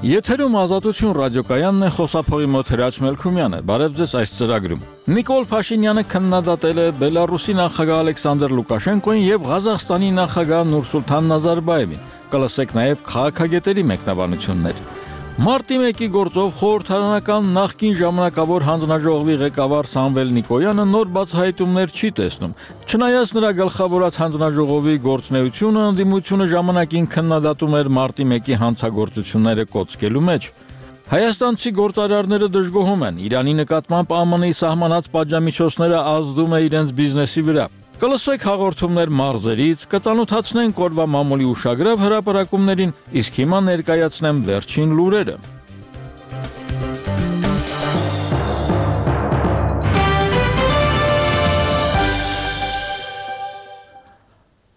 Եթերում Ազատություն ռադիոկայանն է, խոսափողի մոտ Հրաչ Մելքումյանը։ Բարև ձեզ այս ծրագրում։ Նիկոլ Փաշինյանը քննադատել է Բելարուսի նախագահ Ալեքսանդր Լուկաշենկոին եւ Ղազախստանի նախագահ Նուրսուլթան Նազարբաևին։ Կլսեք նաեւ քաղաքագետերի մեկնաբանություններ։ Մարտի 1-ի գործով խորհրդարանական նախկին ժամանակավոր հանձնաժողովի ղեկավար Սամվել Նիկոյանը նոր բացահայտումներ չի տեսնում։ Չնայած նրա գլխավորած հանձնաժողովի գործունեությունը ընդդիմությունը ժամանակին քննադատում էր մարտի 1-ի հանցագործությունները կոծկելու մեջ։ Հայաստանցի գործարարները դժգոհում են, Իրանի նկատմամբ ԱՄՆ-ի սահմանած պատժամիջոցները ազդում է իրենց բիզնեսի վրա։ Կլսեք հաղորդումներ մարզերից, կծանոթացնենք օրվա մամուլի ուշագրավ հրապարակումներին, իսկ հիմա ներկայացնեմ վերջին լուրերը։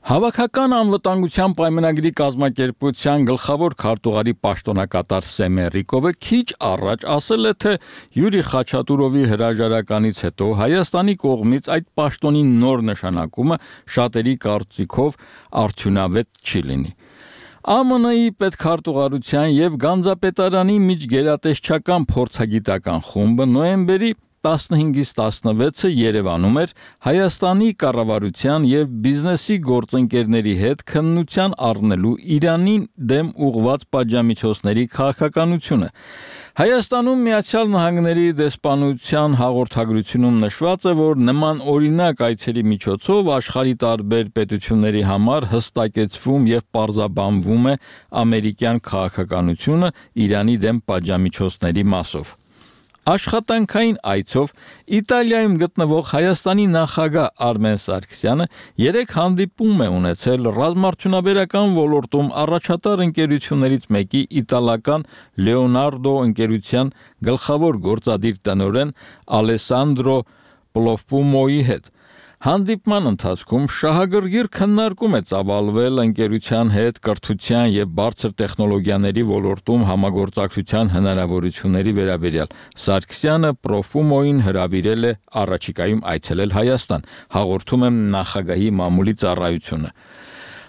Հավաքական անվտանգության պայմանագրի կազմակերպության գլխավոր քարտուղարի պաշտոնակատար Սեմեն Ռիկովը քիչ առաջ ասել է, թե Յուրի Խաչատուրովի հրաժարականից հետո Հայաստանի կողմից այդ պաշտոնի նոր նշանակումը շատերի կարծիքով արդյունավետ չի լինի։ ԱՄՆ-ի պետքարտուղարության եւ Գանձապետարանի միջգերատեսչական փորձագիտական խումբը նոյեմբերի 15-ից 16-ը Երևանում էր Հայաստանի կառավարության եւ բիզնեսի գործընկերների հետ քննության առնելու Իրանին դեմ ուղղված պատժամիջոցների քաղաքականությունը։ Հայաստանում Միացյալ Նահանգների դեսպանության հաղորդագրությունում նշված է, որ նման օրինակ այցերի միջոցով աշխարհի տարբեր պետությունների համար հստակեցվում եւ պարզաբանվում է ամերիկյան քաղաքականությունը Իրանի դեմ պատժամիջոցների մասով։ Աշխատանքային այցով Իտալիայում գտնվող Հայաստանի նախագահ Արմեն Սարգսյանը 3 հանդիպում է ունեցել ռազմարդյունաբերական ոլորտում առաջատար ընկերություններից մեկի իտալական Լեոնարդո ընկերության գլխավոր գործադիր տնօրեն Ալեսանդրո Պլոֆումոյի հետ։ Հանդիպման ընթացքում շահագրգիռ քննարկում է ծավալվել ընկերության հետ կրթության եւ բարձր տեխնոլոգիաների ոլորտում համագործակցության հնարավորությունների վերաբերյալ։ Սարգսյանը Պրոֆումոյին հրավիրել է առաջիկայում այցելել Հայաստան, հաղորդում է նախագահի մամուլի ծառայությունը։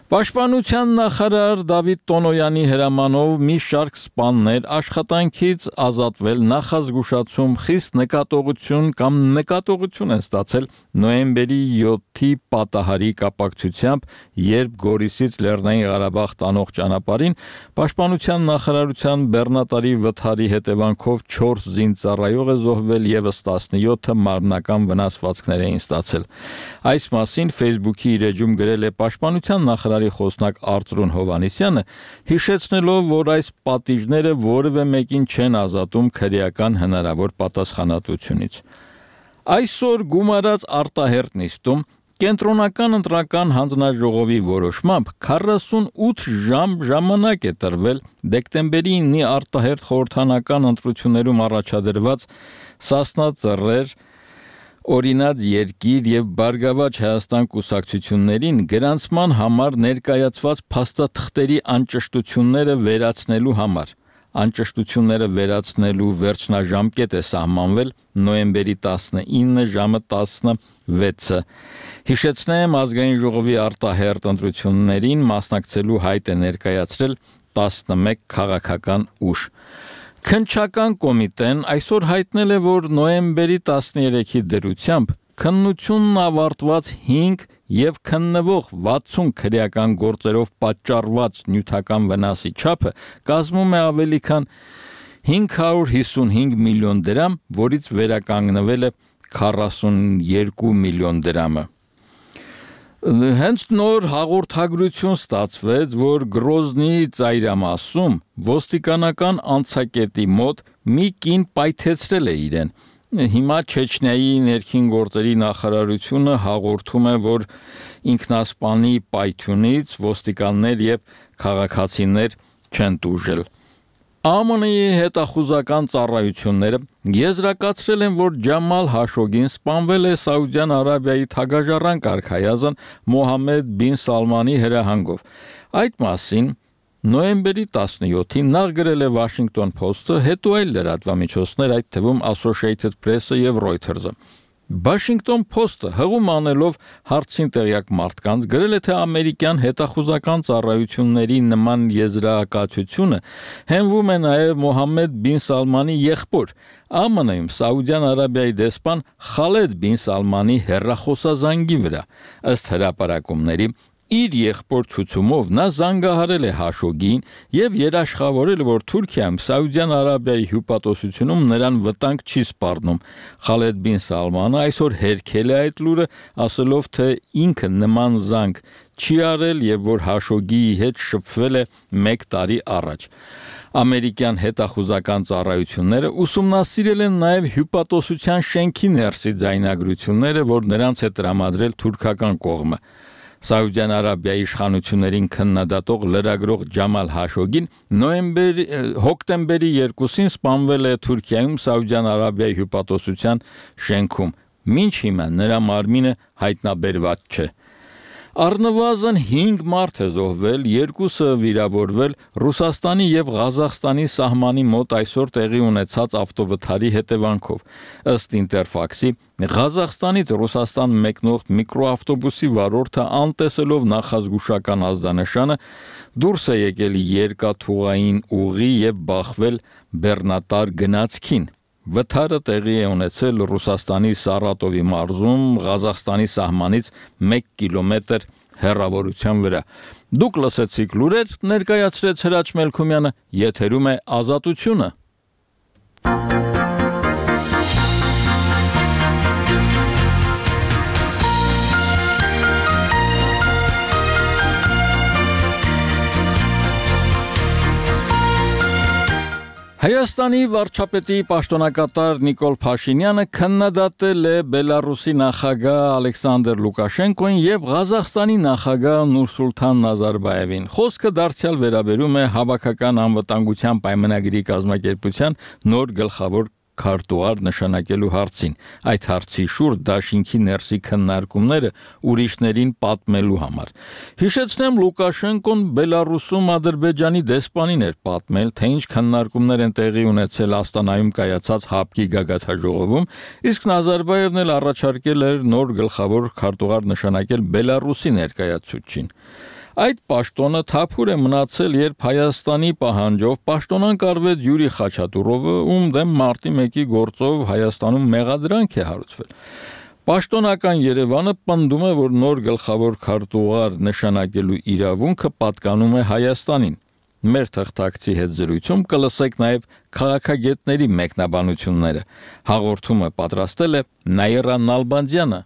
Պաշտպանության նախարար Դավիթ Տոնոյանի հրամանով մի շարք սպաներ աշխատանքից ազատվել նախազգուշացում խիստ նկատողություն կամ նկատողություն են ստացել նոյեմբերի 7-ի պատահարի կապակցությամբ, երբ Գորիսից Լեռնային Ղարաբաղ տանող ճանապարհին Պաշտպանության նախարարության բեռնատարի վթարի հետևանքով 4 զինծառայող է զոհվել եւս 17-ը մարմնական վնասվածքներ էին ստացել։ Այս մասին Facebook-ի իր էջում գրել է Պաշտպանության նախարարի խոսնակ Արծրուն Հովհաննիսյանը, հիշեցնելով, որ այս պատիժները որևէ մեկին չեն ազատում քրեական հնարավոր պատասխանատվությունից։ Այսօր գումարած արտահերտ նիստում Կենտրոնական ընտրական հանձնաժողովի որոշմամբ 48 ժամ ժամանակ է տրվել դեկտեմբերի 9-ի արտահերտ խորհրդանական ընտրություններում առաջադրված Սասնա Ծռեր, Օրինաց երկիր եւ Բարգավաճ Հայաստան կուսակցություններին գրանցման համար ներկայացված փաստաթղթերի անճշտությունները վերացնելու համար։ Անճշտությունները վերացնելու վերջնաժամկետ է սահմանվել նոյեմբերի 19 ժամը 16-ը։ Հիշեցնեմ, ազգային ժողովի արտահերտ ընտրություններին մասնակցելու հայտ է ներկայացրել 11 քաղաքական ուժ։ Քննչական կոմիտեն այսօր հայտնել է, որ նոյեմբերի 13-ի դրությամբ քննությունն ավարտված 5 եւ քննվող 60 քրեական գործերով պատճառված նյութական վնասի չափը կազմում է ավելի քան 555 միլիոն դրամ, որից վերականգնվել է 42 միլիոն դրամը։ Հենց նոր հաղորդագրություն ստացվեց, որ Գրոզնիի ծայրամասում ոստիկանական անցակետի մոտ մի կին պայթեցրել է իրեն։ Հիմա Չեչնիայի ներքին գործերի նախարարությունը հաղորդում է, որ ինքնասպանի պայթյունից ոստիկաններ եւ քաղաքացիներ չեն տուժել։ ԱՄՆ-ի հետախուզական ծառայությունները եզրակացրել են, որ Ջամալ Հաշոգին սպանվել է Սաուդյան Արաբիայի թագաժառանգ արքայազն Մոհամմեդ բին Սալմանի հրահանգով։ Այդ մասին նոյեմբերի 17-ին նախ գրել է Washington Post-ը, հետո այլ լրատվամիջոցներ, այդ թվում Associated Press-ը եւ Reuters-ը։ Washington Post-ը հղում անելով հարցին տեղյակ մարդկանց գրել է, թե ամերիկյան հետախուզական ծառայությունների նման եզրակացությունը հենվում է նաև Մոհամմեդ բին Սալմանի եղբոր, ԱՄՆ-ում Սաուդյան Արաբիայի դեսպան Խալեդ բին Սալմանի հեռախոսազանգի վրա, ըստ հրապարակումների իր եղբոր ցուցումով նա զանգահարել է Հաշոգին եւ երաշխավորել, որ Թուրքիայում Սաուդյան Արաբիայի հյուպատոսությունում նրան վտանգ չի սպառնում։ Խալեդ բին Սալմանը այսօր հերքել է այդ լուրը, ասելով, թե ինքը նման զանգ չի արել եւ որ Հաշոգիի հետ շփվել է 1 տարի առաջ։ Ամերիկյան հետախուզական ծառայությունները ուսումնասիրել են նաև հյուպատոսության շենքի ներսի ձայնագրությունները, որ նրանց է տրամադրել թուրքական կողմը։ Սաուդյան Արաբիայի իշխանություններին քննադատող լրագրող Ջամալ Հաշոգին հոկտեմբերի 2-ին սպանվել է Թուրքիայում Սաուդյան Արաբիայի հյուպատոսության շենքում։ Մինչ հիմա նրա մարմինը հայտնաբերված չէ։ Առնվազն 5 մարդ է զոհվել, 2-ը վիրավորվել Ռուսաստանի եւ Ղազախստանի սահմանի մոտ այսօր տեղի ունեցած ավտովթարի հետևանքով։ Ըստ Ինտերֆաքսի, Ղազախստանից Ռուսաստան մեկնող միկրոավտոբուսի վարորդը անտեսելով նախազգուշական ազդանշանը դուրս է եկել երկաթուղային ուղի եւ բախվել բեռնատար գնացքին։ Վթարը տեղի է ունեցել Ռուսաստանի Սարատովի մարզում, Ղազախստանի սահմանից 1 կիլոմետր հեռավորության վրա։ Դուք լսեցիք լուրեր, ներկայացրեց Հրաչ Մելքումյանը, եթերում է Ազատությունը։ Հայաստանի վարչապետի պաշտոնակատար Նիկոլ Փաշինյանը քննադատել է Բելարուսի նախագահ Ալեքսանդր Լուկաշենկոին եւ Ղազախստանի նախագահ Նուրսուլթան Նազարբաևին։ Խոսքը դարձյալ վերաբերում է հավաքական անվտանգության պայմանագրի կազմակերպության նոր գլխավոր քարտուղար նշանակելու հարցին։ Այդ հարցի շուրջ դաշինքի ներսի քննարկումները ուրիշներին պատմելու համար։ Հիշեցնեմ, Լուկաշենկոն Բելարուսում Ադրբեջանի դեսպանին էր պատմել, թե ինչ քննարկումներ են տեղի ունեցել Աստանայում կայացած ՀԱՊԿ-ի գագաթնաժողովում, իսկ Նազարբաևն էլ առաջարկել էր նոր գլխավոր քարտուղար նշանակել Բելարուսի ներկայացուցչին։ Այդ պաշտոնը թափուր է մնացել, երբ Հայաստանի պահանջով պաշտոնանկ արվեց Յուրի Խաչատուրովը, ում դեմ մարտի 1-ի գործով Հայաստանում մեղադրանք է հարուցվել։ Պաշտոնական Երևանը պնդում է, որ նոր գլխավոր քարտուղար նշանակելու իրավունքը պատկանում է Հայաստանին։ Մեր թղթակցի հետ զրույցում կլսեք նաև քաղաքագետների մեկնաբանությունները։ Հաղորդումը պատրաստել է Նաիրա Նալբանդյանը։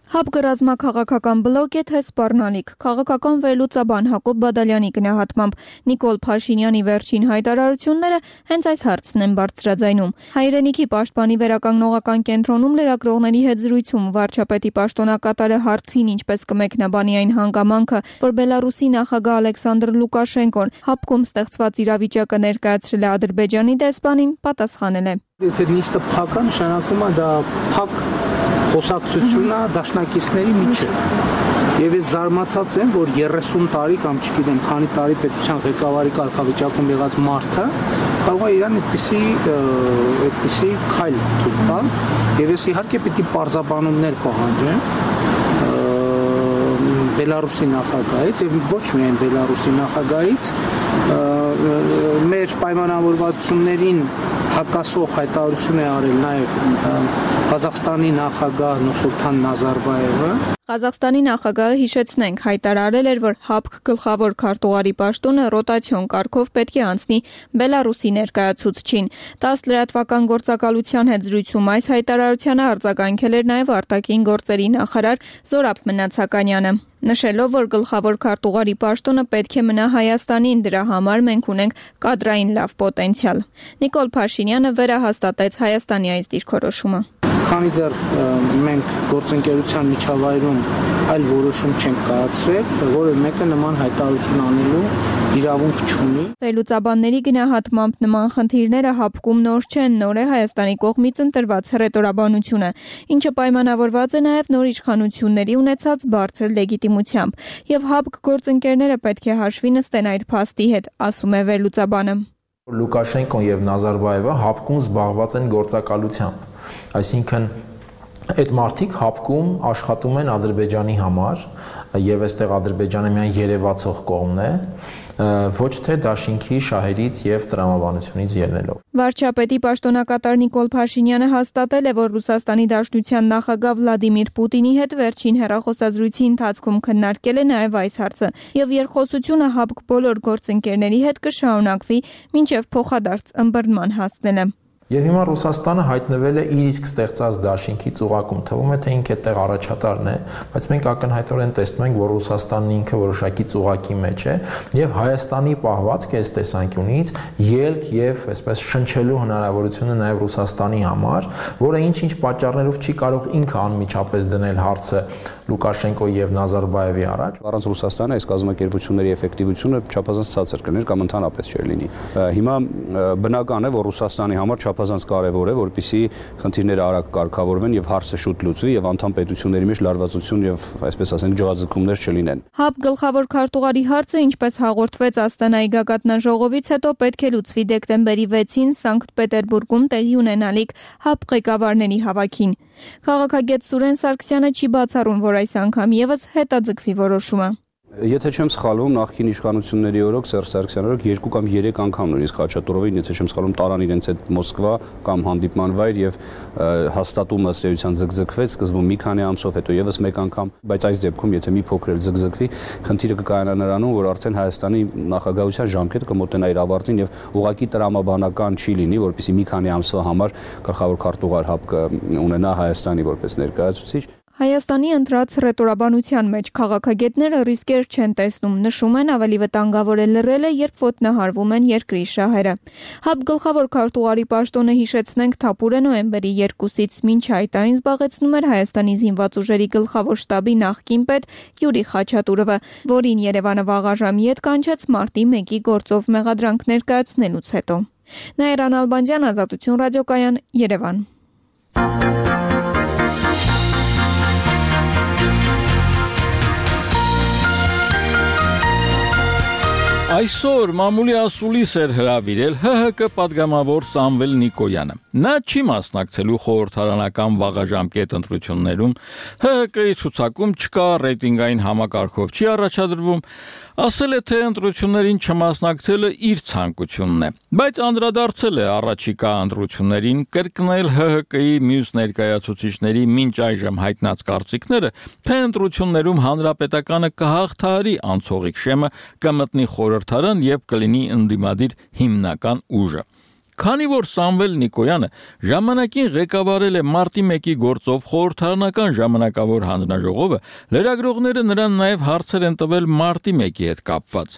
ՀԱՊԿ ռազմաքաղաքական բլոկ է թե սպառնալիք։ Քաղաքական վերլուծաբան Հակոբ Բադալյանի գնահատմամբ Նիկոլ Փաշինյանի վերջին հայտարարությունները հենց այս հարցն են բարձրաձայնում։ Հայրենիքի պաշտպանի վերականգնողական կենտրոնում լրագրողների հետ զրույցում վարչապետի պաշտոնակատարը հարցին ինչպես կմեկնաբանի այն հանգամանքը, որ Բելարուսի նախագահ Ալեքսանդր Լուկաշենկոն ՀԱՊԿ-ում ստեղծված իրավիճակը ներկայացրել է Ադրբեջանի դեսպանին, պատասխանել է. Եթե նիստը փակ է, նշանակում է դա փակ խոսակցությունն է դաշնակիցների միջև։ Եվ ես զարմացած եմ, որ 30 տարի կամ չգիտեմ քանի տարի պետության ղեկավարի կարգավիճակում եղած մարդը կարող է իրան այդպիսի քայլ թույլ տալ, եւ ես իհարկե պիտի պարզաբանումներ պահանջեմ Բելարուսի նախագահից եւ ոչ միայն Բելարուսի նախագահից, մեր պայմանավորվածություններին հակասող հայտարարություն է արել նաև Ղազախստանի նախագահ Նուրսուլթան Նազարբաևը։ Ղազախստանի նախագահը, հիշեցնենք, հայտարարել էր, որ ՀԱՊԿ գլխավոր քարտուղարի պաշտոնը ռոտացիոն կարգով պետք է անցնի Բելարուսի ներկայացուցչին։ 10 լրատվական գործակալության հետ զրույցում այս հայտարարությանը արձագանքել էր նաև արտաքին գործերի նախարար Զորաբ Մնացականյանը, նշելով, որ գլխավոր քարտուղարի պաշտոնը պետք է մնա Հայաստանին, դրա համար մենք ունենք կադրային լավ պոտենցիալ։ Նիկոլ Փաշինյանը վերահաստատեց Հայաստանի այս դիրքորոշումը։ Քանի դեռ մենք գործընկերության միջավայրում այլ որոշում չենք կայացրել, որը մեկը նման հայտարարություն անելու իրավունք չունի։ Վերլուծաբանների գնահատմամբ նման խնդիրները ՀԱՊԿ-ում նոր չեն, նոր է Հայաստանի կողմից ընտրված հռետորաբանությունը, ինչը պայմանավորված է նաև նոր իշխանությունների ունեցած բարձր լեգիտիմությամբ, եւ ՀԱՊԿ գործընկերները պետք է հաշվի նստեն այդ փաստի հետ, ասում է վերլուծաբանը։ Լուկաշենկոն եւ Նազարբաևը հապկում զբաղված են գործակալությամբ, այսինքն այդ մարդիկ հապկում աշխատում են Ադրբեջանի համար եւ այստեղ Ադրբեջանը միայն երևացող կողմն է, ոչ թե դաշինքի շահերից եւ տրամաբանությունից ելնելով։ Վարչապետի պաշտոնակատար Նիկոլ Փաշինյանը հաստատել է, որ Ռուսաստանի Դաշնության նախագահ Վլադիմիր Պուտինի հետ վերջին հեռախոսազրույցի ընթացքում քննարկել է նաեւ այս հարցը եւ երկխոսությունը հապկ բոլոր գործընկերների հետ կշարունակվի մինչեւ փոխադարձ ըմբռնման հասնելը։ Եվ հիմա Ռուսաստանը հայտնվել է իր իսկ ստեղծած դաշինքի ծուղակում, թվում է թե ինքը այդտեղ առաջատարն է, բայց մենք ակնհայտորեն տեսնում ենք, որ Ռուսաստանն ինքը որոշակի ծուղակի մեջ է եւ Հայաստանի պահվածքը այս տեսանկյունից ելք եւ այսպես շնչելու հնարավորությունը նաեւ Ռուսաստանի համար, որը ինչ-ինչ պատճառներով չի կարող ինքը անմիջապես դնել հարցը Լուկաշենկոյի եւ Նազարբաևի առաջ։ Առանց Ռուսաստանը այս կազմակերպությունների էֆեկտիվությունը չափազանց ցածր կլիներ կամ ընդհանրապես չէր լինի։ Հիմա բնական է, որ Ռուսաստանի համար չափազանց կարևոր է, որպեսզի խնդիրները արագ կարգավորվեն եւ հարցը շուտ լուծվի եւ անդամ պետությունների մեջ լարվածություն եւ այսպես ասենք ջրաձգումներ չլինեն։ ՀԱՊ գլխավոր քարտուղարի հարցը, ինչպես հաղորդվեց Աստանայի գագաթնաժողովից հետո, պետք է լուծվի դեկտեմբերի 6-ին Սանկտ Պետերբուրգում տեղի ունենալիք ՀԱՊ ղեկավարների հավաքին։ Քաղաքագետ Սուրեն Սարգսյանը չի բացառում, որ այս անգամ եւս հետաձգվի որոշումը։ Եթե չեմ սխալվում, նախկին իշխանությունների օրոք Սերժ Սարգսյանի օրոք 2 կամ 3 անգամ նույնիսկ Խաչատուրովին, եթե չեմ սխալվում, տարան իրենց այդ Մոսկվա կամ հանդիպման վայր եւ հաստատումը ըստ էության ձգձգվեց, սկզբում մի քանի ամսով, հետո եւս մեկ անգամ, բայց այս դեպքում եթե մի փոքր էլ ձգձգվի, խնդիրը կկայանա նրանում, որ արդեն Հայաստանի նախագահության ժամկետը կմոտենա իր ավարտին եւ ուղղակի տրամաբանական չի լինի, որպեսզի մի քանի ամսվա համար գլխավոր քարտուղար ՀԱՊ ունենա Հայաստանի որպես ներկայացուցիչ։ Հայաստանի ընտրած ռետորաբանության մեջ քաղաքագետները ռիսկեր չեն տեսնում, նշում են ավելի վտանգավոր է լռելը, երբ ոտնահարվում են երկրի շահերը։ ՀԱՊ գլխավոր քարտուղարի պաշտոնը հիշեցնենք թափուր է նոյեմբերի 2-ից մինչ այդ այն զբաղեցնում էր Հայաստանի զինված ուժերի գլխավոր շտաբի նախկին պետ Յուրի Խաչատուրովը, որին Երևանը վաղաժամի հետ կանչեց մարտի 1-ի գործով մեղադրանք ներկայացնելուց հետո։ Նաիրա Նալբանդյան, Ազատություն ռադիոկայան, Երևան։ Այսօր մամուլի ասուլիս էր հրավիրել ՀՀԿ պատգամավոր Սամվել Նիկոյանը։ Նա չի մասնակցելու խորհրդարանական վաղաժամկետ ընտրություններում, ՀՀԿ-ի ցուցակում չկա, ռեյտինգային համակարգով չի առաջադրվում, ասել է, թե ընտրություններին չմասնակցելը իր ցանկությունն է, բայց անդրադարձել է առաջիկա ընտրություններին, կրկնել ՀՀԿ-ի մյուս ներկայացուցիչների մինչ այժմ հայտնած կարծիքները, թե ընտրություններում հանրապետականը կհաղթահարի անցողիկ շեմը, կմտնի խորհրդարան եւ կլինի ընդդիմադիր հիմնական ուժը։ Քանի որ Սամվել Նիկոյանը ժամանակին ղեկավարել է մարտի 1-ի գործով խորհրդարանական ժամանակավոր հանձնաժողովը, լրագրողները նրան նաև հարցեր են տվել մարտի 1-ի հետ կապված։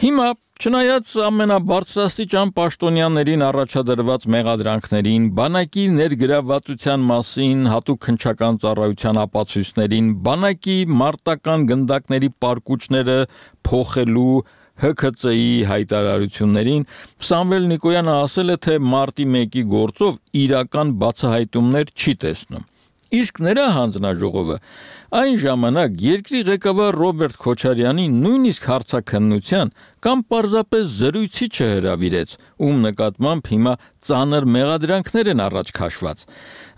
Հիմա, չնայած ամենաբարձրաստիճան պաշտոնյաներին առաջադրված մեղադրանքներին, բանակի ներգրավվածության մասին, հատուկ քննչական ծառայության ապացույցներին, բանակի մարտական գնդակների պարկուճները փոխելու ՀՔԾ-ի հայտարարություններին, Սամվել Նիկոյանը ասել է, թե մարտի 1-ի գործով իրական բացահայտումներ չի տեսնում։ Իսկ նրա հանձնաժողովը այն ժամանակ երկրի ղեկավար Ռոբերտ Քոչարյանին նույնիսկ հարցաքննության կամ պարզապես զրույցի չհրավիրեց, ում նկատմամբ հիմա ծանր մեղադրանքներ են առաջ քաշված։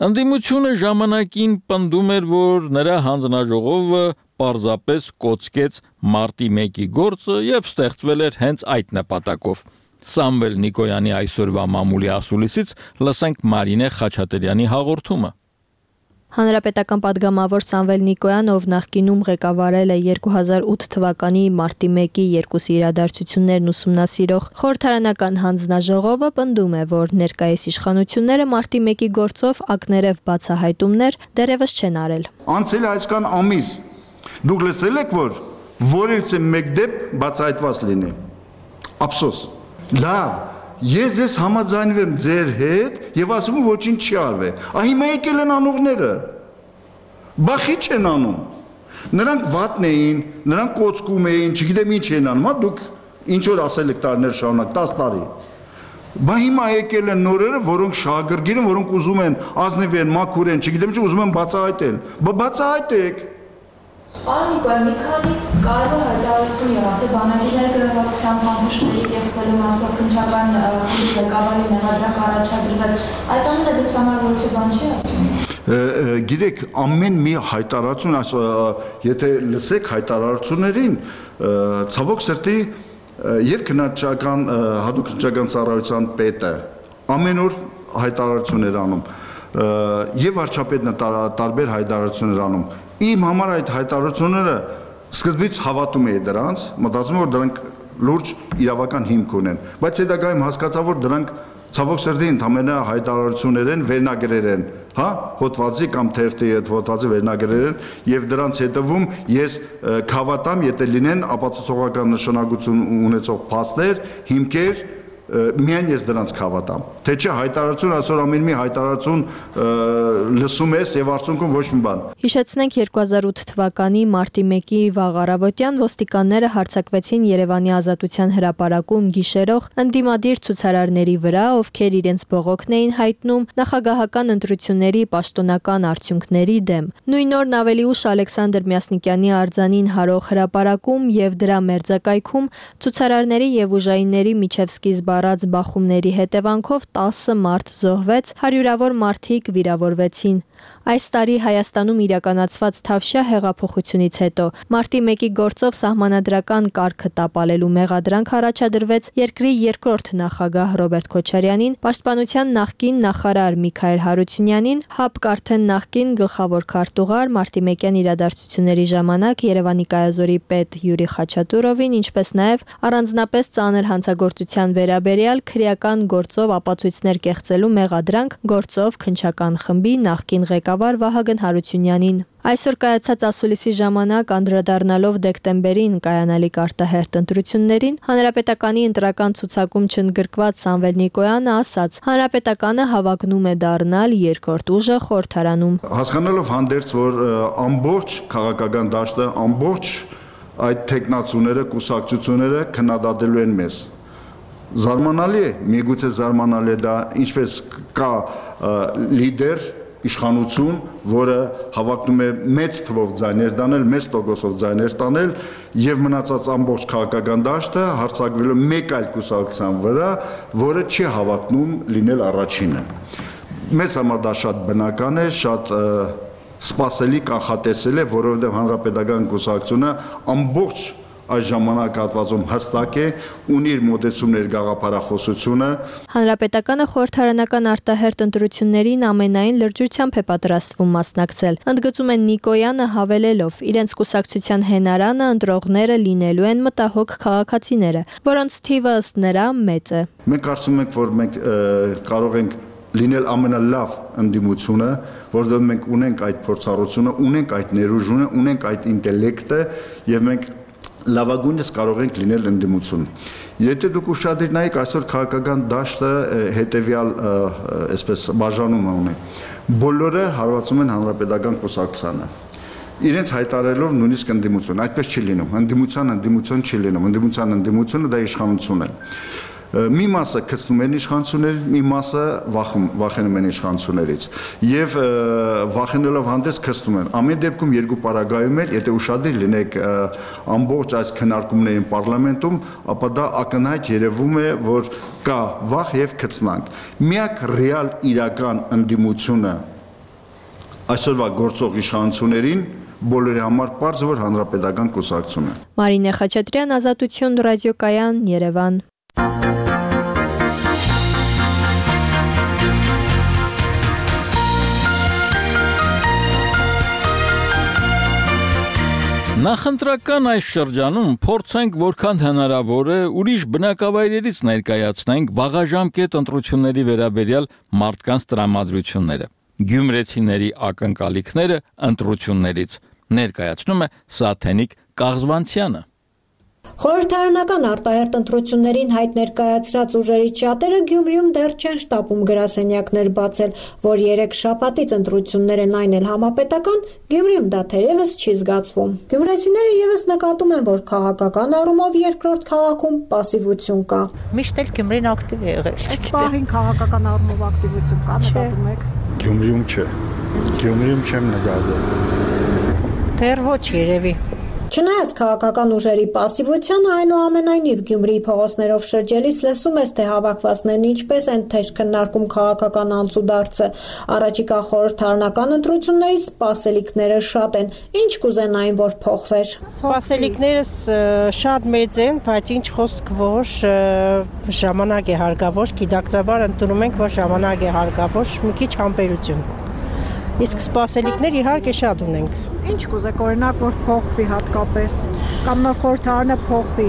Ընդդիմությունը ժամանակին պնդում էր, որ նրա հանձնաժողովը պարզապես կոծկեց մարտի 1-ի գործը եւ ստեղծվել էր հենց այդ նպատակով։ Սամվել Նիկոյանի այսօրվա մամուլի ասուլիսից լսենք Մարինե Խաչատրյանի հաղորդումը։ Հանրապետական պատգամավոր Սամվել Նիկոյանը, ով նախկինում ղեկավարել է 2008 թվականի մարտի 1-ի երկուսի իրադարձություններն ուսումնասիրող խորհրդարանական հանձնաժողովը պնդում է, որ ներկայիս իշխանությունները մարտի 1-ի գործով ակներև բացահայտումներ դեռևս չեն արել։ Անցել է այսքան ամիս, դուք լսել եք, որ որևէ մեկ դեպք բացահայտված լինի։ Ափսոս։ Լավ, ես համաձայնվեմ ձեր հետ եւ ասում եմ ոչինչ չի արվել։ Հիմա եկել են անողները։ Բախի չեն անում։ Նրանք վատն էին, նրանք կոծկում էին, չգիտեմ ինչ են անում, հա դուք ինչ որ ասել եք տարիներ շարունակ, 10 տարի։ Բա հիմա եկել են նորերը, որոնք շահագրգիռ են, որոնք ուզում են ազնիվ են, մաքուր են, չգիտեմ ինչ ուզում են բացահայտել։ Բա բացահայտեք։ Պարոն Նիկոյան, մի քանի կարևոր հայտարարություն եղավ, թե բանակիներ գրավվածության բանջարների կեղծելու մասով քննչական ղեկավարի մեղադրանք առաջադրվեց։ Այդ ամենը ձեզ համար որոշ բան չի ասում։ Գիտեք, ամեն մի հայտարարություն, եթե լսեք հայտարարություններին, ցավոք սրտի եւ քննչական հատուկ քննչական ծառայության պետը ամեն օր հայտարարություններ անում եւ վարչապետն տարբեր հայտարարություններ անում։ Իմ համար այդ հայտարարությունները սկզբից հավատում էի դրանց, մտածում որ դրանք լուրջ իրավական հիմք ունեն, բայց հետագայում հասկացա որ դրանք ցավոք սրտի ընդամենը հայտարարություններ են, վերնագրեր են, հա, հոդվածի կամ թերթի այդ հոդվածի վերնագրեր են եւ դրանց հետևում ես կհավատամ, եթե լինեն ապացուցողական նշանակություն ունեցող փաստեր, հիմքեր, միայն ես դրանց կհավատամ։ Թե չէ հայտարարություն, այսօր ամեն մի հայտարարություն լսում ես եւ արդյունքում ոչ մի բան։ Հիշեցնենք 2008 թվականի մարտի 1-ի վաղ առավոտյան ոստիկանները հարձակվեցին Երևանի Ազատության հրապարակում գիշերող ընդդիմադիր ցուցարարների վրա, ովքեր իրենց բողոքն էին հայտնում նախագահական ընտրությունների պաշտոնական արդյունքների դեմ։ Նույն օրն ավելի ուշ Ալեքսանդր Մյասնիկյանի արձանին հարող հրապարակում եւ դրա մերձակայքում ցուցարարների եւ ուժայինների միջև սկիզբ առած բախումների հետևանքով 10 մարդ զոհվեց, հարյուրավոր մարդիկ վիրավորվեցին։ Այս տարի Հայաստանում իրականացված Թավշյա հեղափոխությունից հետո մարտի 1-ի գործով սահմանադրական կարգը տապալելու մեղադրանք առաջադրվեց երկրի երկրորդ նախագահ Ռոբերտ Քոչարյանին, պաշտպանության նախկին նախարար Միքայել Հարությունյանին, ՀԱՊԿ արդեն նախկին գլխավոր քարտուղար մարտի 1-յան իրադարձությունների ժամանակ Երևանի կայազորի պետ Յուրի Խաչատուրովին, ինչպես նաև առանձնապես ծանր հանցագործության վերաբերյալ քրեական գործով ապացույցներ կեղծելու մեղադրանք գործով քննչական խմբի նախկին ղեկավար Վահագն Հարությունյանին։ Այսօր կայացած ասուլիսի ժամանակ անդրադառնալով դեկտեմբերին կայանալիք արտահերթ ընտրություններին, Հանրապետականի ընտրական ցուցակում չընդգրկված Սամվել Նիկոյանը ասաց. Հանրապետականը հավակնում է դառնալ երկրորդ ուժը խորհրդարանում։ Հասկանալով հանդերձ, որ ամբողջ քաղաքական դաշտը, ամբողջ այդ տեխնացուները, կուսակցությունները քննադատելու են մեզ։ Զարմանալի է, միգուցե զարմանալի է դա, ինչպես կա լիդեր իշխանություն, որը հավակնում է մեծ թվով ձայներ տանել, մեծ տոկոսով ձայներ տանել եւ մնացած ամբողջ քաղաքական դաշտը հարձակվելու մեկ այլ կուսակցության վրա, որը չի հավակնում լինել առաջինը։ Մեզ համար դա շատ բնական է, շատ սպասելի կանխատեսել է, որովհետեւ հանրապետական կուսակցությունը ամբողջ այս ժամանակահատվածում հստակ է, ունի իր մոտեցումներ գաղափարախոսությունը։ Հանրապետականը խորհրդարանական արտահերթ ընտրություններին ամենայն լրջությամբ է պատրաստվում մասնակցել։ Ընդգծում են Նիկոյանը հավելելով, իրենց կուսակցության հենարանը ընտրողները լինելու են մտահոգ քաղաքացիները, որոնց թիվը ըստ նրա մեծ է։ Մենք կարծում ենք, որ մենք կարող ենք լինել ամենալավ ընդդիմությունը, որովհետև մենք ունենք այդ փորձառությունը, ունենք այդ ներուժությունը, ունենք այդ ինտելեկտը եւ մենք լավագույնս կարող ենք լինել ընդդիմություն։ Եթե դուք ուշադրիր նայեք, այսօր քաղաքական դաշտը հետևյալ այսպես բաժանում ունի։ Բոլորը հարվածում են հանրապետական կուսակցությանը։ Իրենց հայտարարելով նույնիսկ ընդդիմություն, այդպես չի լինում։ Ընդդիմություն չի լինում։ Ընդդիմությունը դա իշխանություն է։ Մի մասը գցնում են իշխանություններին, մի մասը վախենում են իշխանություններից եւ վախենալով հանդերձ գցնում են։ Ամեն դեպքում երկու պարագայում էլ, եթե ուշադիր լինեք ամբողջ այս քննարկումներին պարլամենտում, ապա դա ակնհայտ երևում է, որ կա վախ եւ գցնանք։ Միակ ռեալ իրական ընդդիմությունը այսօրվա գործող իշխանություններին բոլորի համար պարզ է, որ հանրապետական կուսակցությունն է։ Մարինե Խաչատրյան, Ազատություն ռադիոկայան, Երևան։ Նախընտրական այս շրջանում փորձենք որքան հնարավոր է ուրիշ բնակավայրերից ներկայացնենք վաղաժամկետ ընտրությունների վերաբերյալ մարդկանց տրամադրությունները, գյումրեցիների ակնկալիքները ընտրություններից, ներկայացնում է Սաթենիկ Կաղզվանցյանը։ Խորհրդարանական արտահերթ ընտրություններին հայտ ներկայացրած ուժերի շատերը Գյումրիում դեռ չեն շտապում գրասենյակներ բացել, որ 3 շաբաթից ընտրություններ են այն էլ համապետական, Գյումրիում դա թերևս չի զգացվում։ Գյումրեցիները եւս նկատում են, որ քաղաքական առումով երկրորդ քաղաքում պասիվություն կա։ Միշտ էլ Գյումրին ակտիվ է եղել։ Այս պահին քաղաքական առումով ակտիվություն կա, նկատում եք։ Գյումրիում չէ։ Գյումրիում չեմ նկատել։ Դեռ ոչ երևի։ Չնայած քաղաքական ուժերի պասիվությանը, այնուամենայնիվ Գյումրիի փողոցներով շրջելիս լսում ես, թե հավաքվածներն ինչպես են թեժ քննարկում քաղաքական անցուդարձը։ Առաջիկա խորհրդարանական ընտրություններից սպասելիքները շատ են։ Ինչ կուզենային, որ փոխվեր։ Սպասելիքներս շատ մեծ են, բայց ինչ խոսք, որ ժամանակ է հարկավոր, գիտակցաբար ընդունում ենք, որ ժամանակ է հարկավոր, մի քիչ համբերություն։ Իսկ սպասելիքներ իհարկե շատ ունենք։ Ինչ կուզեք, օրինակ, որ փոխվի հատկապես, կամ նոր խորհրդարանը փոխվի։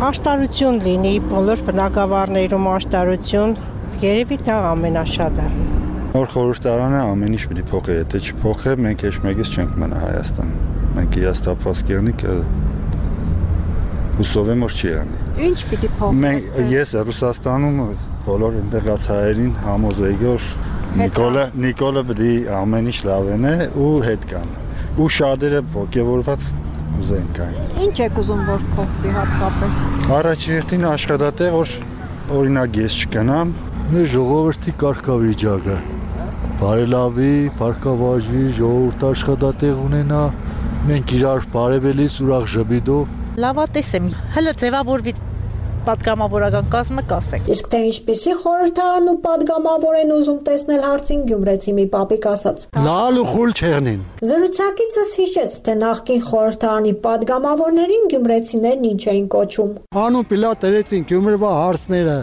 Աշտարություն լինի, բոլոր բնակավարներում աշտարություն, երևի դա ամենաշատը։ Նոր խորհրդարանը ամեն ինչ պիտի փոխի, եթե չփոխի, մենք ոչ մեկից չենք մնա Հայաստան։ Մենք հիաստապված կերնիկ հուսով եմ, որ չի անի։ Ինչ պիտի փոխի։ Ես Ռուսաստանում բոլոր այնտեղած հայերին համոզեի, որ Նիկոլը պիտի ամեն ինչ լավեն է ու հետ կան։ Ու շատերը ոգևորված կուզեն կային։ Ինչ եք ուզում, որ փոխվի հատկապես։ Առաջին աշխատատեղ, որ օրինակ ես չգնամ, մեր ժողովրդի կարգավիճակը բարելավի, փառքավաճվի, ժողովուրդ աշխատատեղ ունենա, մենք իրար բարևելիս ուրախ ժպիտով։ Լավատես եմ, հələ ձևավորվի պատգամավորական կազմը կասեք։ Իսկ թե ինչպիսի խորհրդարան ու պատգամավոր են ուզում տեսնել հարցին գյումրեցի մի պապիկ ասաց. Լալ ու խուլ չեղնին։ Զրուցակիցս հիշեց, թե նախկին խորհրդարանի պատգամավորներին գյումրեցիներն ինչ էին կոչում։ Անուն պիլա տերեցին Գյումրվա հարցները։